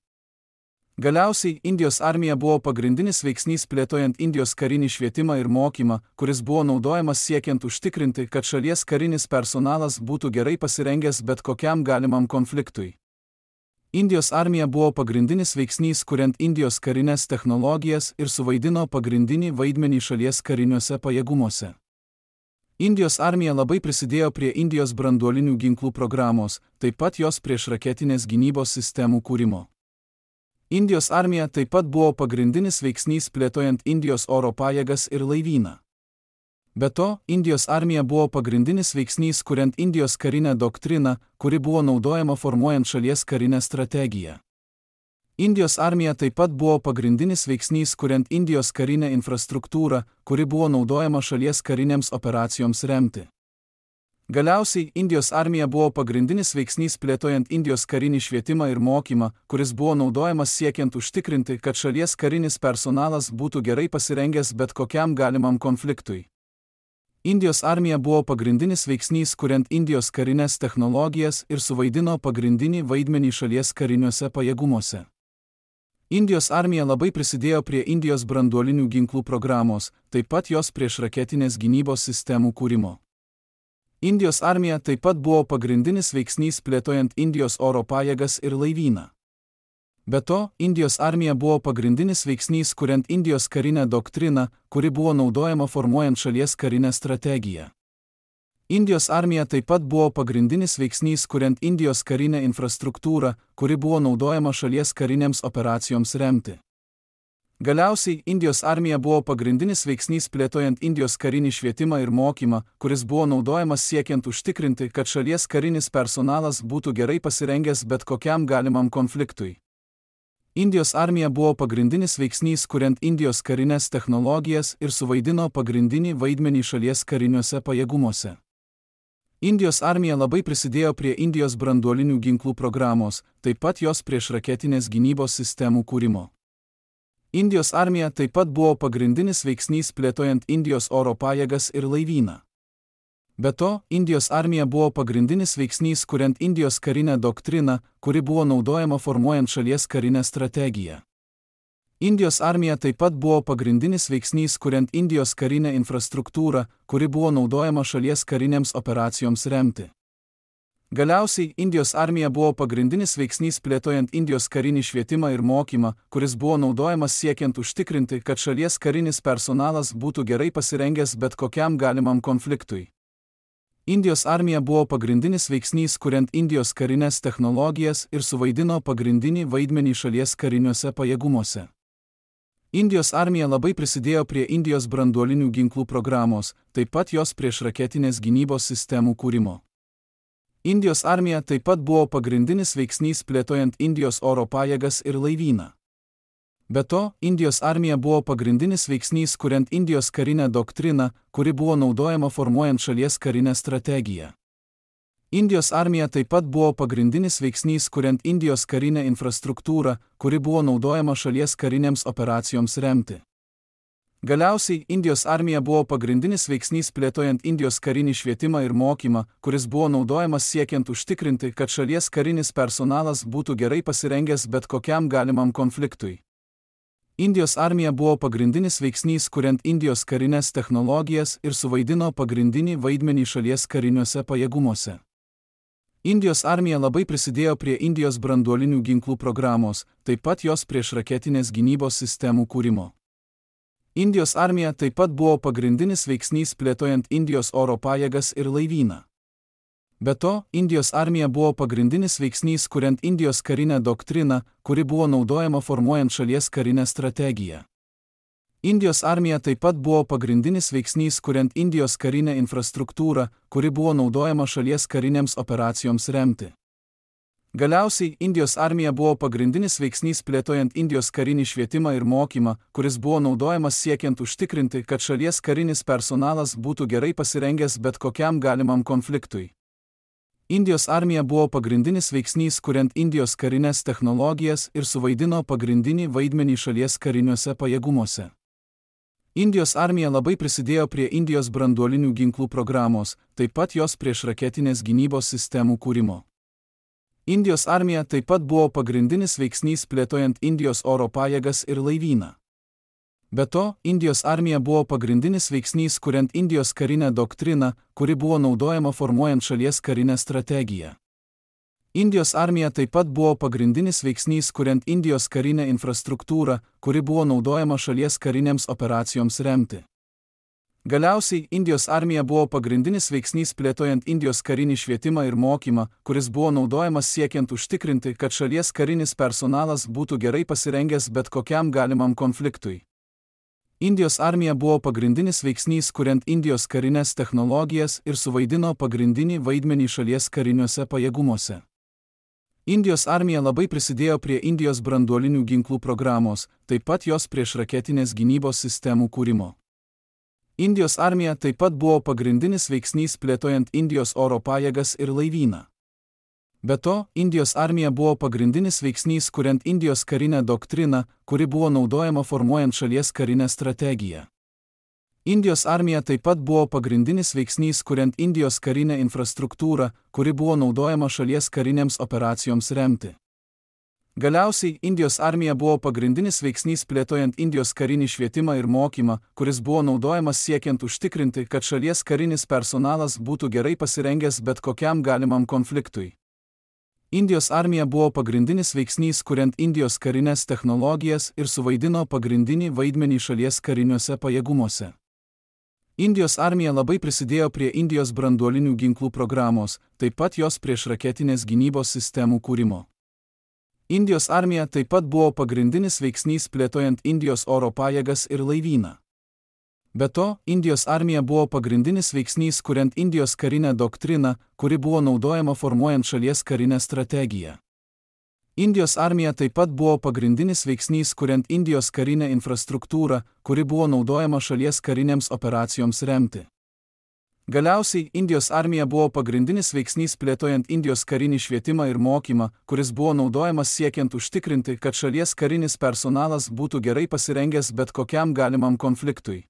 Galiausiai, Indijos armija buvo pagrindinis veiksnys plėtojant Indijos karinį švietimą ir mokymą, kuris buvo naudojamas siekiant užtikrinti, kad šalies karinis personalas būtų gerai pasirengęs bet kokiam galimam konfliktui. Indijos armija buvo pagrindinis veiksnys kuriant Indijos karinės technologijas ir suvaidino pagrindinį vaidmenį šalies kariniuose pajėgumuose. Indijos armija labai prisidėjo prie Indijos branduolinių ginklų programos, taip pat jos priešraketinės gynybos sistemų kūrimo. Indijos armija taip pat buvo pagrindinis veiksnys plėtojant Indijos oro pajėgas ir laivyną. Be to, Indijos armija buvo pagrindinis veiksnys kuriant Indijos karinę doktriną, kuri buvo naudojama formuojant šalies karinę strategiją. Indijos armija taip pat buvo pagrindinis veiksnys kuriant Indijos karinę infrastruktūrą, kuri buvo naudojama šalies karinėms operacijoms remti. Galiausiai, Indijos armija buvo pagrindinis veiksnys plėtojant Indijos karinį švietimą ir mokymą, kuris buvo naudojamas siekiant užtikrinti, kad šalies karinis personalas būtų gerai pasirengęs bet kokiam galimam konfliktui. Indijos armija buvo pagrindinis veiksnys kuriant Indijos karinės technologijas ir suvaidino pagrindinį vaidmenį šalies kariniuose pajėgumuose. Indijos armija labai prisidėjo prie Indijos branduolinių ginklų programos, taip pat jos priešraketinės gynybos sistemų kūrimo. Indijos armija taip pat buvo pagrindinis veiksnys plėtojant Indijos oro pajėgas ir laivyną. Be to, Indijos armija buvo pagrindinis veiksnys kuriant Indijos karinę doktriną, kuri buvo naudojama formuojant šalies karinę strategiją. Indijos armija taip pat buvo pagrindinis veiksnys kuriant Indijos karinę infrastruktūrą, kuri buvo naudojama šalies karinėms operacijoms remti. Galiausiai, Indijos armija buvo pagrindinis veiksnys plėtojant Indijos karinį švietimą ir mokymą, kuris buvo naudojamas siekiant užtikrinti, kad šalies karinis personalas būtų gerai pasirengęs bet kokiam galimam konfliktui. Indijos armija buvo pagrindinis veiksnys kuriant Indijos karinės technologijas ir suvaidino pagrindinį vaidmenį šalies kariniuose pajėgumuose. Indijos armija labai prisidėjo prie Indijos branduolinių ginklų programos, taip pat jos priešraketinės gynybos sistemų kūrimo. Indijos armija taip pat buvo pagrindinis veiksnys plėtojant Indijos oro pajėgas ir laivyną. Be to, Indijos armija buvo pagrindinis veiksnys kuriant Indijos karinę doktriną, kuri buvo naudojama formuojant šalies karinę strategiją. Indijos armija taip pat buvo pagrindinis veiksnys kuriant Indijos karinę infrastruktūrą, kuri buvo naudojama šalies karinėms operacijoms remti. Galiausiai, Indijos armija buvo pagrindinis veiksnys plėtojant Indijos karinį švietimą ir mokymą, kuris buvo naudojamas siekiant užtikrinti, kad šalies karinis personalas būtų gerai pasirengęs bet kokiam galimam konfliktui. Indijos armija buvo pagrindinis veiksnys kuriant Indijos karinės technologijas ir suvaidino pagrindinį vaidmenį šalies kariniuose pajėgumuose. Indijos armija labai prisidėjo prie Indijos branduolinių ginklų programos, taip pat jos priešraketinės gynybos sistemų kūrimo. Indijos armija taip pat buvo pagrindinis veiksnys plėtojant Indijos oro pajėgas ir laivyną. Be to, Indijos armija buvo pagrindinis veiksnys kuriant Indijos karinę doktriną, kuri buvo naudojama formuojant šalies karinę strategiją. Indijos armija taip pat buvo pagrindinis veiksnys kuriant Indijos karinę infrastruktūrą, kuri buvo naudojama šalies karinėms operacijoms remti. Galiausiai, Indijos armija buvo pagrindinis veiksnys plėtojant Indijos karinį švietimą ir mokymą, kuris buvo naudojamas siekiant užtikrinti, kad šalies karinis personalas būtų gerai pasirengęs bet kokiam galimam konfliktui. Indijos armija buvo pagrindinis veiksnys kuriant Indijos karinės technologijas ir suvaidino pagrindinį vaidmenį šalies kariniuose pajėgumuose. Indijos armija labai prisidėjo prie Indijos branduolinių ginklų programos, taip pat jos priešraketinės gynybos sistemų kūrimo. Indijos armija taip pat buvo pagrindinis veiksnys plėtojant Indijos oro pajėgas ir laivyną. Be to, Indijos armija buvo pagrindinis veiksnys kuriant Indijos karinę doktriną, kuri buvo naudojama formuojant šalies karinę strategiją. Indijos armija taip pat buvo pagrindinis veiksnys kuriant Indijos karinę infrastruktūrą, kuri buvo naudojama šalies karinėms operacijoms remti. Galiausiai, Indijos armija buvo pagrindinis veiksnys plėtojant Indijos karinį švietimą ir mokymą, kuris buvo naudojamas siekiant užtikrinti, kad šalies karinis personalas būtų gerai pasirengęs bet kokiam galimam konfliktui. Indijos armija buvo pagrindinis veiksnys kuriant Indijos karinės technologijas ir suvaidino pagrindinį vaidmenį šalies kariniuose pajėgumuose. Indijos armija labai prisidėjo prie Indijos branduolinių ginklų programos, taip pat jos priešraketinės gynybos sistemų kūrimo. Indijos armija taip pat buvo pagrindinis veiksnys plėtojant Indijos oro pajėgas ir laivyną. Be to, Indijos armija buvo pagrindinis veiksnys kuriant Indijos karinę doktriną, kuri buvo naudojama formuojant šalies karinę strategiją. Indijos armija taip pat buvo pagrindinis veiksnys kuriant Indijos karinę infrastruktūrą, kuri buvo naudojama šalies karinėms operacijoms remti. Galiausiai, Indijos armija buvo pagrindinis veiksnys plėtojant Indijos karinį švietimą ir mokymą, kuris buvo naudojamas siekiant užtikrinti, kad šalies karinis personalas būtų gerai pasirengęs bet kokiam galimam konfliktui. Indijos armija buvo pagrindinis veiksnys kuriant Indijos karinės technologijas ir suvaidino pagrindinį vaidmenį šalies kariniuose pajėgumuose. Indijos armija labai prisidėjo prie Indijos branduolinių ginklų programos, taip pat jos priešraketinės gynybos sistemų kūrimo. Indijos armija taip pat buvo pagrindinis veiksnys plėtojant Indijos oro pajėgas ir laivyną. Be to, Indijos armija buvo pagrindinis veiksnys kuriant Indijos karinę doktriną, kuri buvo naudojama formuojant šalies karinę strategiją. Indijos armija taip pat buvo pagrindinis veiksnys kuriant Indijos karinę infrastruktūrą, kuri buvo naudojama šalies karinėms operacijoms remti. Galiausiai, Indijos armija buvo pagrindinis veiksnys plėtojant Indijos karinį švietimą ir mokymą, kuris buvo naudojamas siekiant užtikrinti, kad šalies karinis personalas būtų gerai pasirengęs bet kokiam galimam konfliktui. Indijos armija buvo pagrindinis veiksnys kuriant Indijos karinės technologijas ir suvaidino pagrindinį vaidmenį šalies kariniuose pajėgumuose. Indijos armija labai prisidėjo prie Indijos branduolinių ginklų programos, taip pat jos priešraketinės gynybos sistemų kūrimo. Indijos armija taip pat buvo pagrindinis veiksnys plėtojant Indijos oro pajėgas ir laivyną. Be to, Indijos armija buvo pagrindinis veiksnys kuriant Indijos karinę doktriną, kuri buvo naudojama formuojant šalies karinę strategiją. Indijos armija taip pat buvo pagrindinis veiksnys kuriant Indijos karinę infrastruktūrą, kuri buvo naudojama šalies karinėms operacijoms remti. Galiausiai, Indijos armija buvo pagrindinis veiksnys plėtojant Indijos karinį švietimą ir mokymą, kuris buvo naudojamas siekiant užtikrinti, kad šalies karinis personalas būtų gerai pasirengęs bet kokiam galimam konfliktui.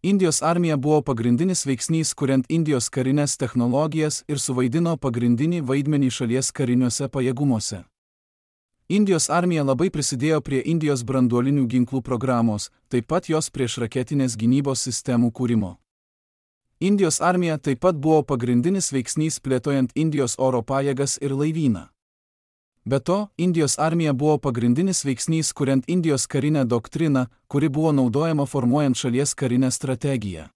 Indijos armija buvo pagrindinis veiksnys kuriant Indijos karinės technologijas ir suvaidino pagrindinį vaidmenį šalies kariniuose pajėgumuose. Indijos armija labai prisidėjo prie Indijos branduolinių ginklų programos, taip pat jos priešraketinės gynybos sistemų kūrimo. Indijos armija taip pat buvo pagrindinis veiksnys plėtojant Indijos oro pajėgas ir laivyną. Be to, Indijos armija buvo pagrindinis veiksnys kuriant Indijos karinę doktriną, kuri buvo naudojama formuojant šalies karinę strategiją.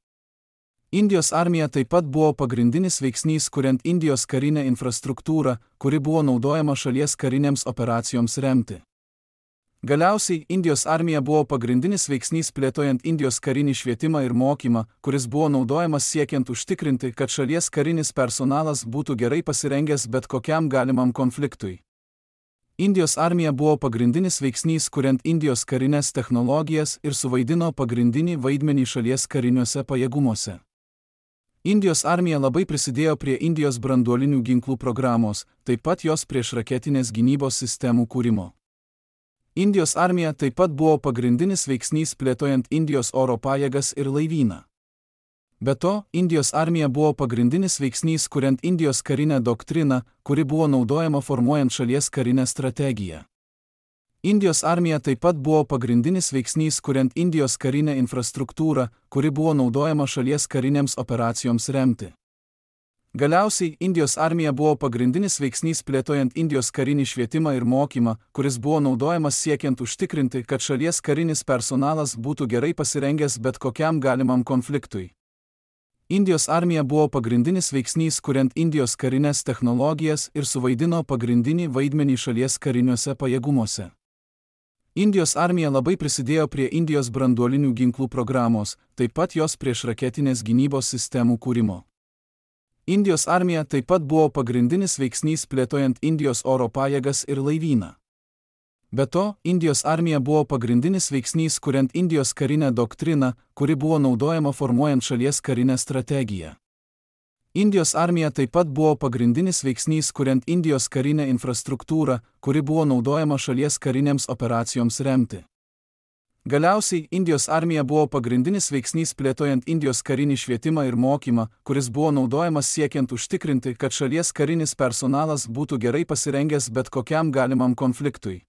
Indijos armija taip pat buvo pagrindinis veiksnys kuriant Indijos karinę infrastruktūrą, kuri buvo naudojama šalies karinėms operacijoms remti. Galiausiai, Indijos armija buvo pagrindinis veiksnys plėtojant Indijos karinį švietimą ir mokymą, kuris buvo naudojamas siekiant užtikrinti, kad šalies karinis personalas būtų gerai pasirengęs bet kokiam galimam konfliktui. Indijos armija buvo pagrindinis veiksnys kuriant Indijos karinės technologijas ir suvaidino pagrindinį vaidmenį šalies kariniuose pajėgumuose. Indijos armija labai prisidėjo prie Indijos branduolinių ginklų programos, taip pat jos priešraketinės gynybos sistemų kūrimo. Indijos armija taip pat buvo pagrindinis veiksnys plėtojant Indijos oro pajėgas ir laivyną. Be to, Indijos armija buvo pagrindinis veiksnys kuriant Indijos karinę doktriną, kuri buvo naudojama formuojant šalies karinę strategiją. Indijos armija taip pat buvo pagrindinis veiksnys kuriant Indijos karinę infrastruktūrą, kuri buvo naudojama šalies karinėms operacijoms remti. Galiausiai, Indijos armija buvo pagrindinis veiksnys plėtojant Indijos karinį švietimą ir mokymą, kuris buvo naudojamas siekiant užtikrinti, kad šalies karinis personalas būtų gerai pasirengęs bet kokiam galimam konfliktui. Indijos armija buvo pagrindinis veiksnys kuriant Indijos karinės technologijas ir suvaidino pagrindinį vaidmenį šalies kariniuose pajėgumuose. Indijos armija labai prisidėjo prie Indijos branduolinių ginklų programos, taip pat jos priešraketinės gynybos sistemų kūrimo. Indijos armija taip pat buvo pagrindinis veiksnys plėtojant Indijos oro pajėgas ir laivyną. Be to, Indijos armija buvo pagrindinis veiksnys kuriant Indijos karinę doktriną, kuri buvo naudojama formuojant šalies karinę strategiją. Indijos armija taip pat buvo pagrindinis veiksnys kuriant Indijos karinę infrastruktūrą, kuri buvo naudojama šalies karinėms operacijoms remti. Galiausiai, Indijos armija buvo pagrindinis veiksnys plėtojant Indijos karinį švietimą ir mokymą, kuris buvo naudojamas siekiant užtikrinti, kad šalies karinis personalas būtų gerai pasirengęs bet kokiam galimam konfliktui.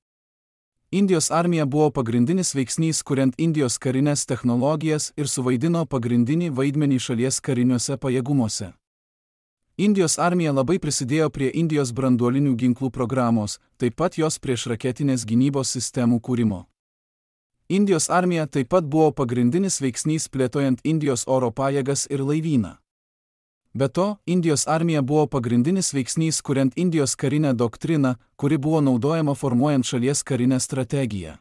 Indijos armija buvo pagrindinis veiksnys kuriant Indijos karinės technologijas ir suvaidino pagrindinį vaidmenį šalies kariniuose pajėgumuose. Indijos armija labai prisidėjo prie Indijos branduolinių ginklų programos, taip pat jos priešraketinės gynybos sistemų kūrimo. Indijos armija taip pat buvo pagrindinis veiksnys plėtojant Indijos oro pajėgas ir laivyną. Be to, Indijos armija buvo pagrindinis veiksnys kuriant Indijos karinę doktriną, kuri buvo naudojama formuojant šalies karinę strategiją.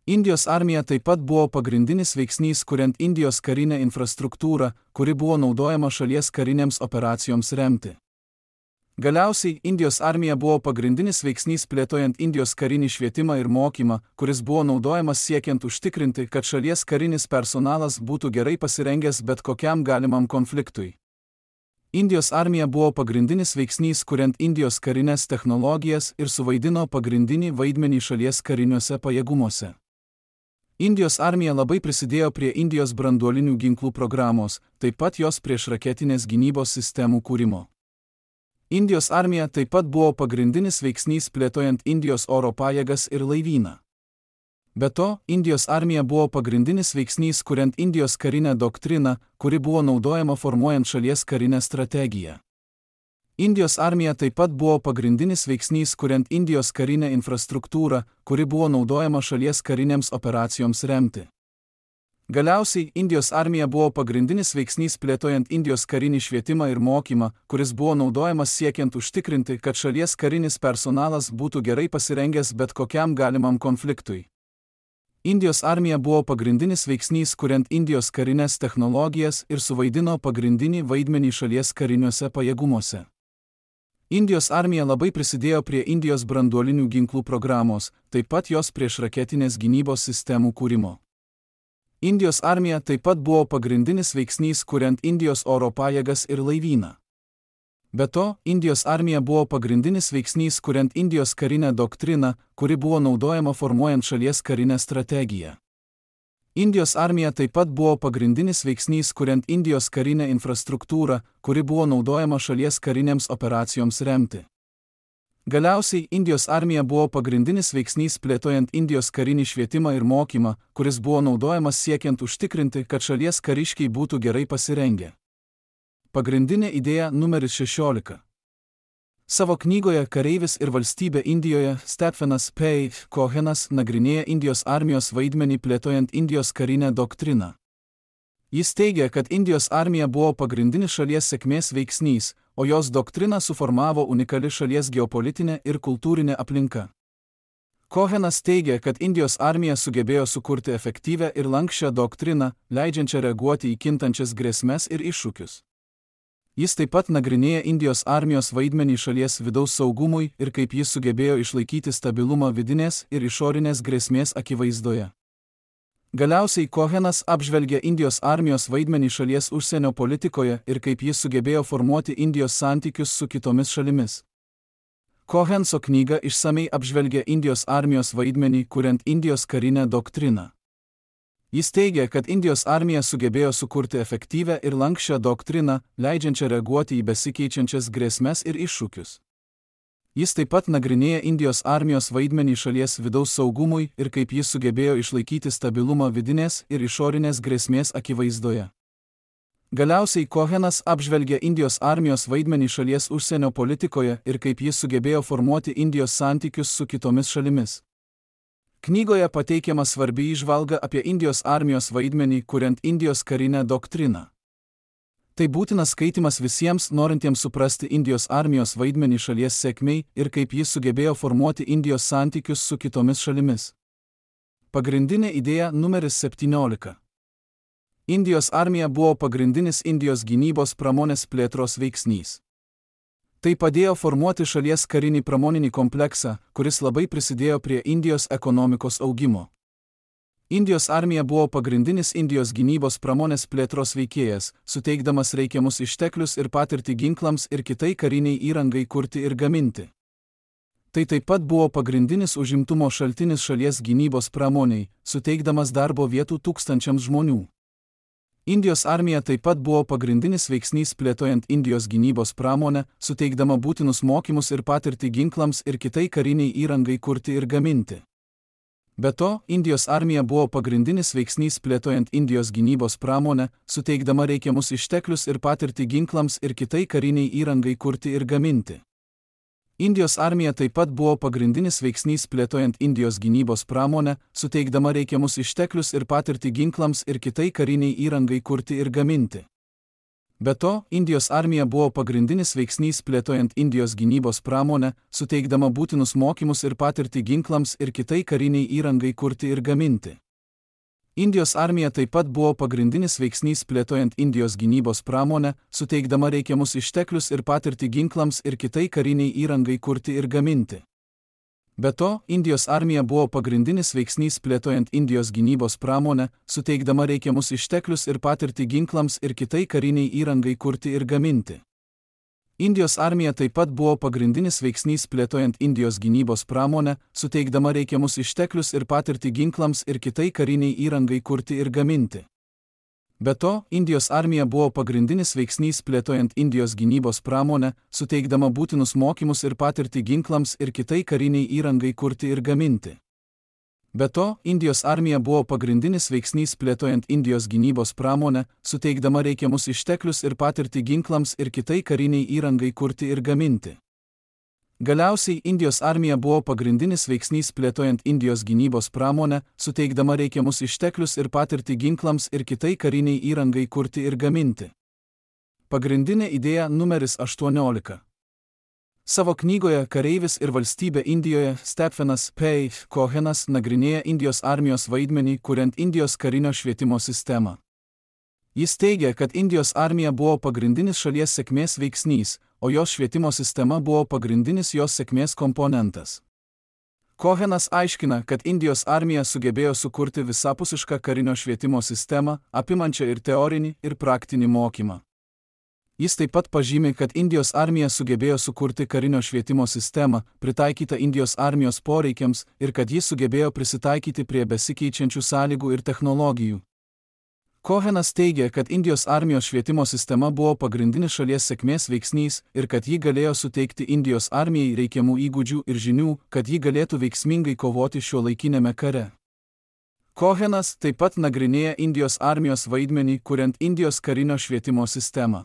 Indijos armija taip pat buvo pagrindinis veiksnys kuriant Indijos karinę infrastruktūrą, kuri buvo naudojama šalies karinėms operacijoms remti. Galiausiai, Indijos armija buvo pagrindinis veiksnys plėtojant Indijos karinį švietimą ir mokymą, kuris buvo naudojamas siekiant užtikrinti, kad šalies karinis personalas būtų gerai pasirengęs bet kokiam galimam konfliktui. Indijos armija buvo pagrindinis veiksnys kuriant Indijos karinės technologijas ir suvaidino pagrindinį vaidmenį šalies kariniuose pajėgumuose. Indijos armija labai prisidėjo prie Indijos branduolinių ginklų programos, taip pat jos priešraketinės gynybos sistemų kūrimo. Indijos armija taip pat buvo pagrindinis veiksnys plėtojant Indijos oro pajėgas ir laivyną. Be to, Indijos armija buvo pagrindinis veiksnys kuriant Indijos karinę doktriną, kuri buvo naudojama formuojant šalies karinę strategiją. Indijos armija taip pat buvo pagrindinis veiksnys kuriant Indijos karinę infrastruktūrą, kuri buvo naudojama šalies karinėms operacijoms remti. Galiausiai, Indijos armija buvo pagrindinis veiksnys plėtojant Indijos karinį švietimą ir mokymą, kuris buvo naudojamas siekiant užtikrinti, kad šalies karinis personalas būtų gerai pasirengęs bet kokiam galimam konfliktui. Indijos armija buvo pagrindinis veiksnys kuriant Indijos karinės technologijas ir suvaidino pagrindinį vaidmenį šalies kariniuose pajėgumuose. Indijos armija labai prisidėjo prie Indijos branduolinių ginklų programos, taip pat jos priešraketinės gynybos sistemų kūrimo. Indijos armija taip pat buvo pagrindinis veiksnys kuriant Indijos oro pajėgas ir laivyną. Be to, Indijos armija buvo pagrindinis veiksnys kuriant Indijos karinę doktriną, kuri buvo naudojama formuojant šalies karinę strategiją. Indijos armija taip pat buvo pagrindinis veiksnys kuriant Indijos karinę infrastruktūrą, kuri buvo naudojama šalies karinėms operacijoms remti. Galiausiai Indijos armija buvo pagrindinis veiksnys plėtojant Indijos karinį švietimą ir mokymą, kuris buvo naudojamas siekiant užtikrinti, kad šalies kariškiai būtų gerai pasirengę. Pagrindinė idėja numeris 16. Savo knygoje Kareivis ir valstybė Indijoje Stephenas P. Cohenas nagrinėja Indijos armijos vaidmenį plėtojant Indijos karinę doktriną. Jis teigia, kad Indijos armija buvo pagrindinis šalies sėkmės veiksnys, o jos doktriną suformavo unikali šalies geopolitinė ir kultūrinė aplinka. Cohenas teigia, kad Indijos armija sugebėjo sukurti efektyvią ir lanksčią doktriną, leidžiančią reaguoti į kintančias grėsmes ir iššūkius. Jis taip pat nagrinėja Indijos armijos vaidmenį šalies vidaus saugumui ir kaip jis sugebėjo išlaikyti stabilumą vidinės ir išorinės grėsmės akivaizdoje. Galiausiai Cohenas apžvelgia Indijos armijos vaidmenį šalies užsienio politikoje ir kaip jis sugebėjo formuoti Indijos santykius su kitomis šalimis. Cohenso knyga išsamei apžvelgia Indijos armijos vaidmenį kuriant Indijos karinę doktriną. Jis teigia, kad Indijos armija sugebėjo sukurti efektyvią ir lanksčią doktriną, leidžiančią reaguoti į besikeičiančias grėsmes ir iššūkius. Jis taip pat nagrinėja Indijos armijos vaidmenį šalies vidaus saugumui ir kaip jis sugebėjo išlaikyti stabilumą vidinės ir išorinės grėsmės akivaizdoje. Galiausiai Cohenas apžvelgia Indijos armijos vaidmenį šalies užsienio politikoje ir kaip jis sugebėjo formuoti Indijos santykius su kitomis šalimis. Knygoje pateikiama svarbi įžvalga apie Indijos armijos vaidmenį kuriant Indijos karinę doktriną. Tai būtinas skaitimas visiems norintiems suprasti Indijos armijos vaidmenį šalies sėkmei ir kaip jis sugebėjo formuoti Indijos santykius su kitomis šalimis. Pagrindinė idėja numeris 17. Indijos armija buvo pagrindinis Indijos gynybos pramonės plėtros veiksnys. Tai padėjo formuoti šalies karinį pramoninį kompleksą, kuris labai prisidėjo prie Indijos ekonomikos augimo. Indijos armija buvo pagrindinis Indijos gynybos pramonės plėtros veikėjas, suteikdamas reikiamus išteklius ir patirtį ginklams ir kitai kariniai įrangai kurti ir gaminti. Tai taip pat buvo pagrindinis užimtumo šaltinis šalies gynybos pramoniai, suteikdamas darbo vietų tūkstančiams žmonių. Indijos armija taip pat buvo pagrindinis veiksnys plėtojant Indijos gynybos pramonę, suteikdama būtinus mokymus ir patirtį ginklams ir kitai kariniai įrangai kurti ir gaminti. Be to, Indijos armija buvo pagrindinis veiksnys plėtojant Indijos gynybos pramonę, suteikdama reikiamus išteklius ir patirtį ginklams ir kitai kariniai įrangai kurti ir gaminti. Indijos armija taip pat buvo pagrindinis veiksnys plėtojant Indijos gynybos pramonę, suteikdama reikiamus išteklius ir patirtį ginklams ir kitai kariniai įrangai kurti ir gaminti. Be to, Indijos armija buvo pagrindinis veiksnys plėtojant Indijos gynybos pramonę, suteikdama būtinus mokymus ir patirtį ginklams ir kitai kariniai įrangai kurti ir gaminti. Indijos armija taip pat buvo pagrindinis veiksnys plėtojant Indijos gynybos pramonę, suteikdama reikiamus išteklius ir patirtį ginklams ir kitai kariniai įrangai kurti ir gaminti. Be to, Indijos armija buvo pagrindinis veiksnys plėtojant Indijos gynybos pramonę, suteikdama reikiamus išteklius ir patirtį ginklams ir kitai kariniai įrangai kurti ir gaminti. Indijos armija taip pat buvo pagrindinis veiksnys plėtojant Indijos gynybos pramonę, suteikdama reikiamus išteklius ir patirtį ginklams ir kitai kariniai įrangai kurti ir gaminti. Be to, Indijos armija buvo pagrindinis veiksnys plėtojant Indijos gynybos pramonę, suteikdama būtinus mokymus ir patirtį ginklams ir kitai kariniai įrangai kurti ir gaminti. Be to, Indijos armija buvo pagrindinis veiksnys plėtojant Indijos gynybos pramonę, suteikdama reikiamus išteklius ir patirtį ginklams ir kitai kariniai įrangai kurti ir gaminti. Galiausiai Indijos armija buvo pagrindinis veiksnys plėtojant Indijos gynybos pramonę, suteikdama reikiamus išteklius ir patirtį ginklams ir kitai kariniai įrangai kurti ir gaminti. Pagrindinė idėja numeris 18. Savo knygoje Kareivis ir valstybė Indijoje Stephenas P. Cohenas nagrinėja Indijos armijos vaidmenį kuriant Indijos karinio švietimo sistemą. Jis teigia, kad Indijos armija buvo pagrindinis šalies sėkmės veiksnys, o jos švietimo sistema buvo pagrindinis jos sėkmės komponentas. Cohenas aiškina, kad Indijos armija sugebėjo sukurti visapusišką karinio švietimo sistemą, apimančią ir teorinį, ir praktinį mokymą. Jis taip pat pažymi, kad Indijos armija sugebėjo sukurti karinio švietimo sistemą, pritaikytą Indijos armijos poreikiams, ir kad jis sugebėjo prisitaikyti prie besikeičiančių sąlygų ir technologijų. Cohenas teigia, kad Indijos armijos švietimo sistema buvo pagrindinis šalies sėkmės veiksnys ir kad ji galėjo suteikti Indijos armijai reikiamų įgūdžių ir žinių, kad ji galėtų veiksmingai kovoti šiuolaikiniame kare. Cohenas taip pat nagrinėja Indijos armijos vaidmenį, kuriant Indijos karinio švietimo sistemą.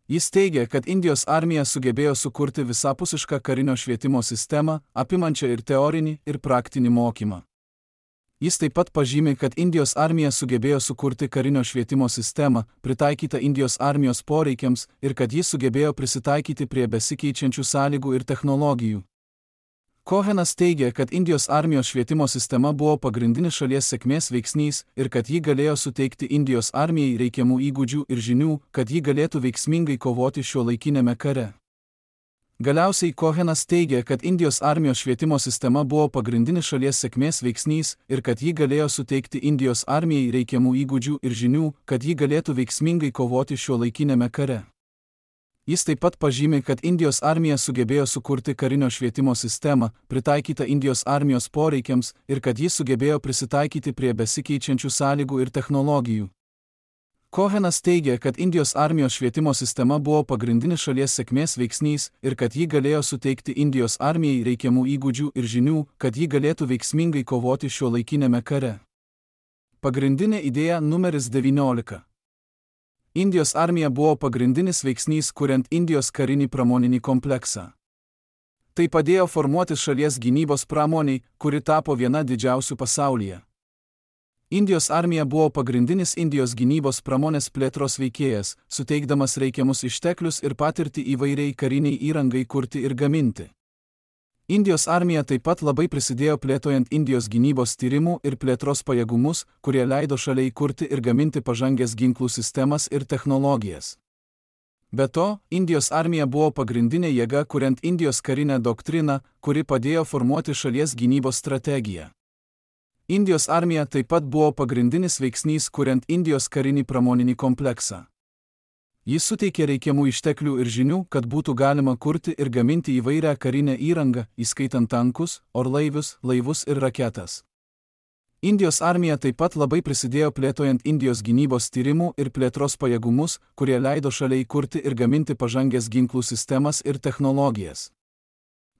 Jis teigia, kad Indijos armija sugebėjo sukurti visapusišką karinio švietimo sistemą, apimančią ir teorinį, ir praktinį mokymą. Jis taip pat pažymi, kad Indijos armija sugebėjo sukurti karinio švietimo sistemą, pritaikytą Indijos armijos poreikiams, ir kad jis sugebėjo prisitaikyti prie besikeičiančių sąlygų ir technologijų. Cohenas teigia, kad Indijos armijos švietimo sistema buvo pagrindinis šalies sėkmės veiksnys ir kad ji galėjo suteikti Indijos armijai reikiamų įgūdžių ir žinių, kad ji galėtų veiksmingai kovoti šiuolaikiniame kare. Galiausiai Cohenas teigia, kad Indijos armijos švietimo sistema buvo pagrindinis šalies sėkmės veiksnys ir kad ji galėjo suteikti Indijos armijai reikiamų įgūdžių ir žinių, kad ji galėtų veiksmingai kovoti šiuolaikiniame kare. Jis taip pat pažymi, kad Indijos armija sugebėjo sukurti karinio švietimo sistemą, pritaikytą Indijos armijos poreikiams ir kad jis sugebėjo prisitaikyti prie besikeičiančių sąlygų ir technologijų. Cohenas teigia, kad Indijos armijos švietimo sistema buvo pagrindinis šalies sėkmės veiksnys ir kad ji galėjo suteikti Indijos armijai reikiamų įgūdžių ir žinių, kad ji galėtų veiksmingai kovoti šiuolaikiniame kare. Pagrindinė idėja numeris 19. Indijos armija buvo pagrindinis veiksnys, kuriant Indijos karinį pramoninį kompleksą. Tai padėjo formuotis šalies gynybos pramoniai, kuri tapo viena didžiausių pasaulyje. Indijos armija buvo pagrindinis Indijos gynybos pramonės plėtros veikėjas, suteikdamas reikiamus išteklius ir patirtį įvairiai kariniai įrangai kurti ir gaminti. Indijos armija taip pat labai prisidėjo plėtojant Indijos gynybos tyrimų ir plėtros pajėgumus, kurie leido šaliai kurti ir gaminti pažangės ginklų sistemas ir technologijas. Be to, Indijos armija buvo pagrindinė jėga kuriant Indijos karinę doktriną, kuri padėjo formuoti šalies gynybos strategiją. Indijos armija taip pat buvo pagrindinis veiksnys kuriant Indijos karinį pramoninį kompleksą. Jis suteikė reikiamų išteklių ir žinių, kad būtų galima kurti ir gaminti įvairią karinę įrangą, įskaitant tankus, orlaivius, laivus ir raketas. Indijos armija taip pat labai prisidėjo plėtojant Indijos gynybos tyrimų ir plėtros pajėgumus, kurie leido šaliai kurti ir gaminti pažangės ginklų sistemas ir technologijas.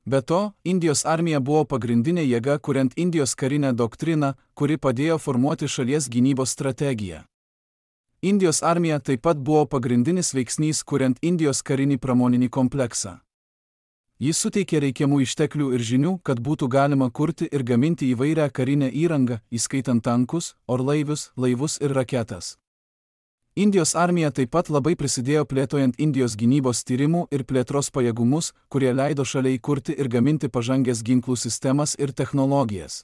Be to, Indijos armija buvo pagrindinė jėga kuriant Indijos karinę doktriną, kuri padėjo formuoti šalies gynybos strategiją. Indijos armija taip pat buvo pagrindinis veiksnys kuriant Indijos karinį pramoninį kompleksą. Jis suteikė reikiamų išteklių ir žinių, kad būtų galima kurti ir gaminti įvairią karinę įrangą, įskaitant tankus, orlaivius, laivus ir raketas. Indijos armija taip pat labai prisidėjo plėtojant Indijos gynybos tyrimų ir plėtros pajėgumus, kurie leido šaliai kurti ir gaminti pažangės ginklų sistemas ir technologijas.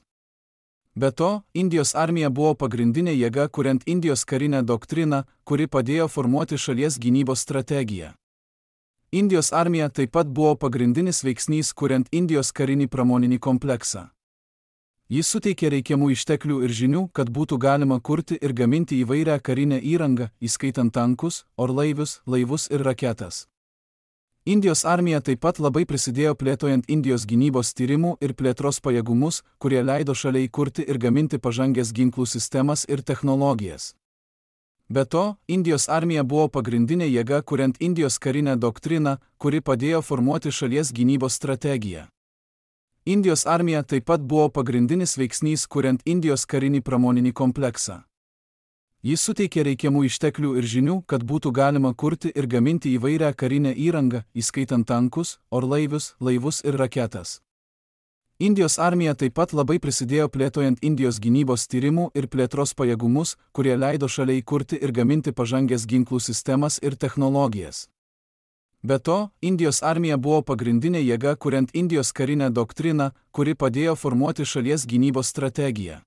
Be to, Indijos armija buvo pagrindinė jėga kuriant Indijos karinę doktriną, kuri padėjo formuoti šalies gynybos strategiją. Indijos armija taip pat buvo pagrindinis veiksnys kuriant Indijos karinį pramoninį kompleksą. Jis suteikė reikiamų išteklių ir žinių, kad būtų galima kurti ir gaminti įvairią karinę įrangą, įskaitant tankus, orlaivius, laivus ir raketas. Indijos armija taip pat labai prisidėjo plėtojant Indijos gynybos tyrimų ir plėtros pajėgumus, kurie leido šaliai kurti ir gaminti pažangės ginklų sistemas ir technologijas. Be to, Indijos armija buvo pagrindinė jėga kuriant Indijos karinę doktriną, kuri padėjo formuoti šalies gynybos strategiją. Indijos armija taip pat buvo pagrindinis veiksnys kuriant Indijos karinį pramoninį kompleksą. Jis suteikė reikiamų išteklių ir žinių, kad būtų galima kurti ir gaminti įvairią karinę įrangą, įskaitant tankus, orlaivius, laivus ir raketas. Indijos armija taip pat labai prisidėjo plėtojant Indijos gynybos tyrimų ir plėtros pajėgumus, kurie leido šaliai kurti ir gaminti pažangės ginklų sistemas ir technologijas. Be to, Indijos armija buvo pagrindinė jėga kuriant Indijos karinę doktriną, kuri padėjo formuoti šalies gynybos strategiją.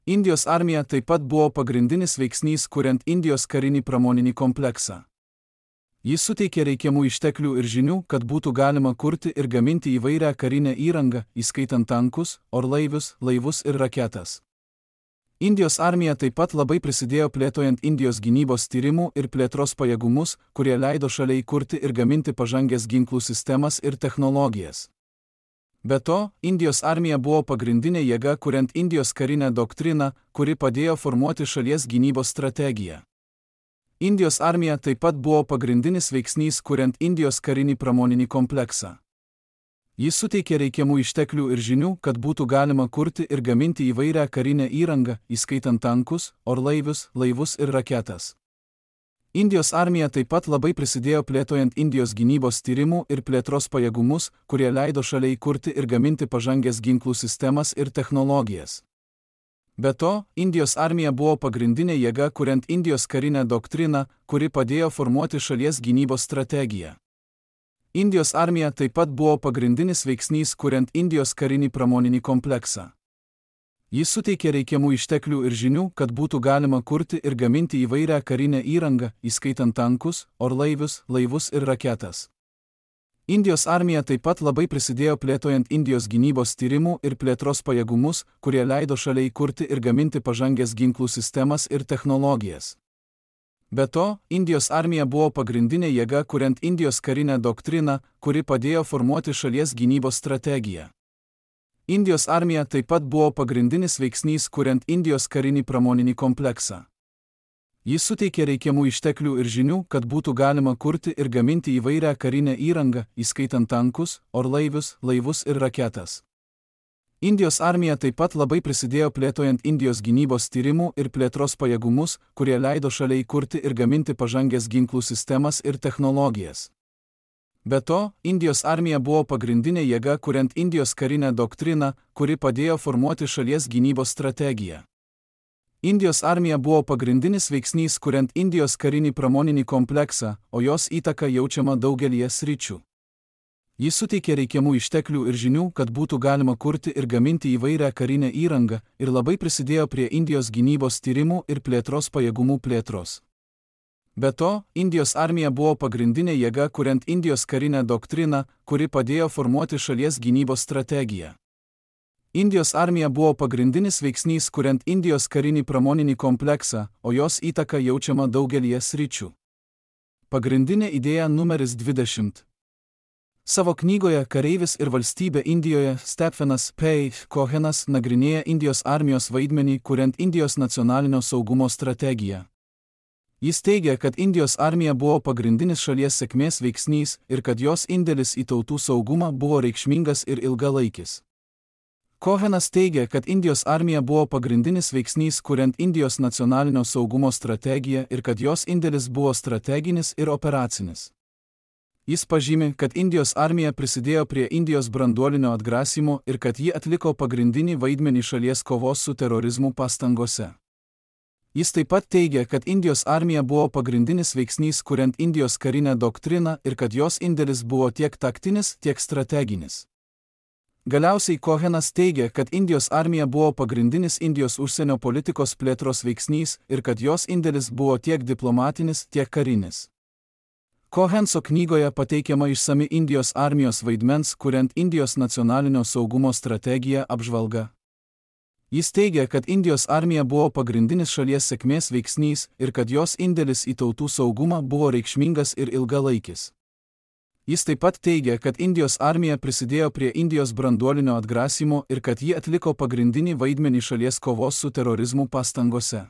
Indijos armija taip pat buvo pagrindinis veiksnys kuriant Indijos karinį pramoninį kompleksą. Jis suteikė reikiamų išteklių ir žinių, kad būtų galima kurti ir gaminti įvairią karinę įrangą, įskaitant tankus, orlaivius, laivus ir raketas. Indijos armija taip pat labai prisidėjo plėtojant Indijos gynybos tyrimų ir plėtros pajėgumus, kurie leido šaliai kurti ir gaminti pažangės ginklų sistemas ir technologijas. Be to, Indijos armija buvo pagrindinė jėga kuriant Indijos karinę doktriną, kuri padėjo formuoti šalies gynybos strategiją. Indijos armija taip pat buvo pagrindinis veiksnys kuriant Indijos karinį pramoninį kompleksą. Jis suteikė reikiamų išteklių ir žinių, kad būtų galima kurti ir gaminti įvairią karinę įrangą, įskaitant tankus, orlaivius, laivus ir raketas. Indijos armija taip pat labai prisidėjo plėtojant Indijos gynybos tyrimų ir plėtros pajėgumus, kurie leido šaliai kurti ir gaminti pažangės ginklų sistemas ir technologijas. Be to, Indijos armija buvo pagrindinė jėga kuriant Indijos karinę doktriną, kuri padėjo formuoti šalies gynybos strategiją. Indijos armija taip pat buvo pagrindinis veiksnys kuriant Indijos karinį pramoninį kompleksą. Jis suteikė reikiamų išteklių ir žinių, kad būtų galima kurti ir gaminti įvairią karinę įrangą, įskaitant tankus, orlaivius, laivus ir raketas. Indijos armija taip pat labai prisidėjo plėtojant Indijos gynybos tyrimų ir plėtros pajėgumus, kurie leido šaliai kurti ir gaminti pažangės ginklų sistemas ir technologijas. Be to, Indijos armija buvo pagrindinė jėga kuriant Indijos karinę doktriną, kuri padėjo formuoti šalies gynybos strategiją. Indijos armija taip pat buvo pagrindinis veiksnys kuriant Indijos karinį pramoninį kompleksą. Jis suteikė reikiamų išteklių ir žinių, kad būtų galima kurti ir gaminti įvairią karinę įrangą, įskaitant tankus, orlaivius, laivus ir raketas. Indijos armija taip pat labai prisidėjo plėtojant Indijos gynybos tyrimų ir plėtros pajėgumus, kurie leido šaliai kurti ir gaminti pažangės ginklų sistemas ir technologijas. Be to, Indijos armija buvo pagrindinė jėga kuriant Indijos karinę doktriną, kuri padėjo formuoti šalies gynybos strategiją. Indijos armija buvo pagrindinis veiksnys kuriant Indijos karinį pramoninį kompleksą, o jos įtaka jaučiama daugelyje sričių. Jis suteikė reikiamų išteklių ir žinių, kad būtų galima kurti ir gaminti įvairią karinę įrangą ir labai prisidėjo prie Indijos gynybos tyrimų ir plėtros pajėgumų plėtros. Be to, Indijos armija buvo pagrindinė jėga kuriant Indijos karinę doktriną, kuri padėjo formuoti šalies gynybos strategiją. Indijos armija buvo pagrindinis veiksnys kuriant Indijos karinį pramoninį kompleksą, o jos įtaka jaučiama daugelyje sričių. Pagrindinė idėja numeris 20. Savo knygoje Kareivis ir valstybė Indijoje Stephenas P. Cohenas nagrinėja Indijos armijos vaidmenį kuriant Indijos nacionalinio saugumo strategiją. Jis teigia, kad Indijos armija buvo pagrindinis šalies sėkmės veiksnys ir kad jos indėlis į tautų saugumą buvo reikšmingas ir ilgalaikis. Cohenas teigia, kad Indijos armija buvo pagrindinis veiksnys kuriant Indijos nacionalinio saugumo strategiją ir kad jos indėlis buvo strateginis ir operacinis. Jis pažymi, kad Indijos armija prisidėjo prie Indijos branduolinio atgrasymo ir kad ji atliko pagrindinį vaidmenį šalies kovos su terorizmu pastangose. Jis taip pat teigia, kad Indijos armija buvo pagrindinis veiksnys kuriant Indijos karinę doktriną ir kad jos indėlis buvo tiek taktinis, tiek strateginis. Galiausiai Cohenas teigia, kad Indijos armija buvo pagrindinis Indijos užsienio politikos plėtros veiksnys ir kad jos indėlis buvo tiek diplomatinis, tiek karinis. Cohenso knygoje pateikiama išsami Indijos armijos vaidmens kuriant Indijos nacionalinio saugumo strategiją apžvalga. Jis teigia, kad Indijos armija buvo pagrindinis šalies sėkmės veiksnys ir kad jos indėlis į tautų saugumą buvo reikšmingas ir ilgalaikis. Jis taip pat teigia, kad Indijos armija prisidėjo prie Indijos branduolinio atgrasymo ir kad ji atliko pagrindinį vaidmenį šalies kovos su terorizmu pastangose.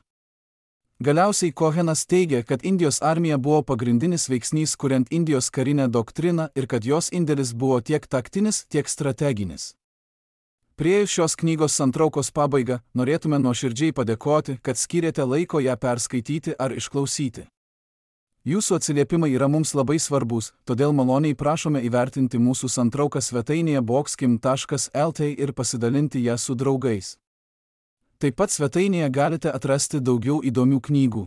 Galiausiai Cohenas teigia, kad Indijos armija buvo pagrindinis veiksnys kuriant Indijos karinę doktriną ir kad jos indėlis buvo tiek taktinis, tiek strateginis. Priėjus šios knygos santraukos pabaigą, norėtume nuoširdžiai padėkoti, kad skyrėte laiko ją perskaityti ar išklausyti. Jūsų atsiliepimai yra mums labai svarbus, todėl maloniai prašome įvertinti mūsų santrauką svetainėje boxkim.lt ir pasidalinti ją su draugais. Taip pat svetainėje galite atrasti daugiau įdomių knygų.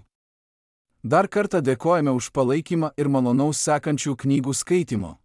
Dar kartą dėkojame už palaikymą ir malonaus sekančių knygų skaitimo.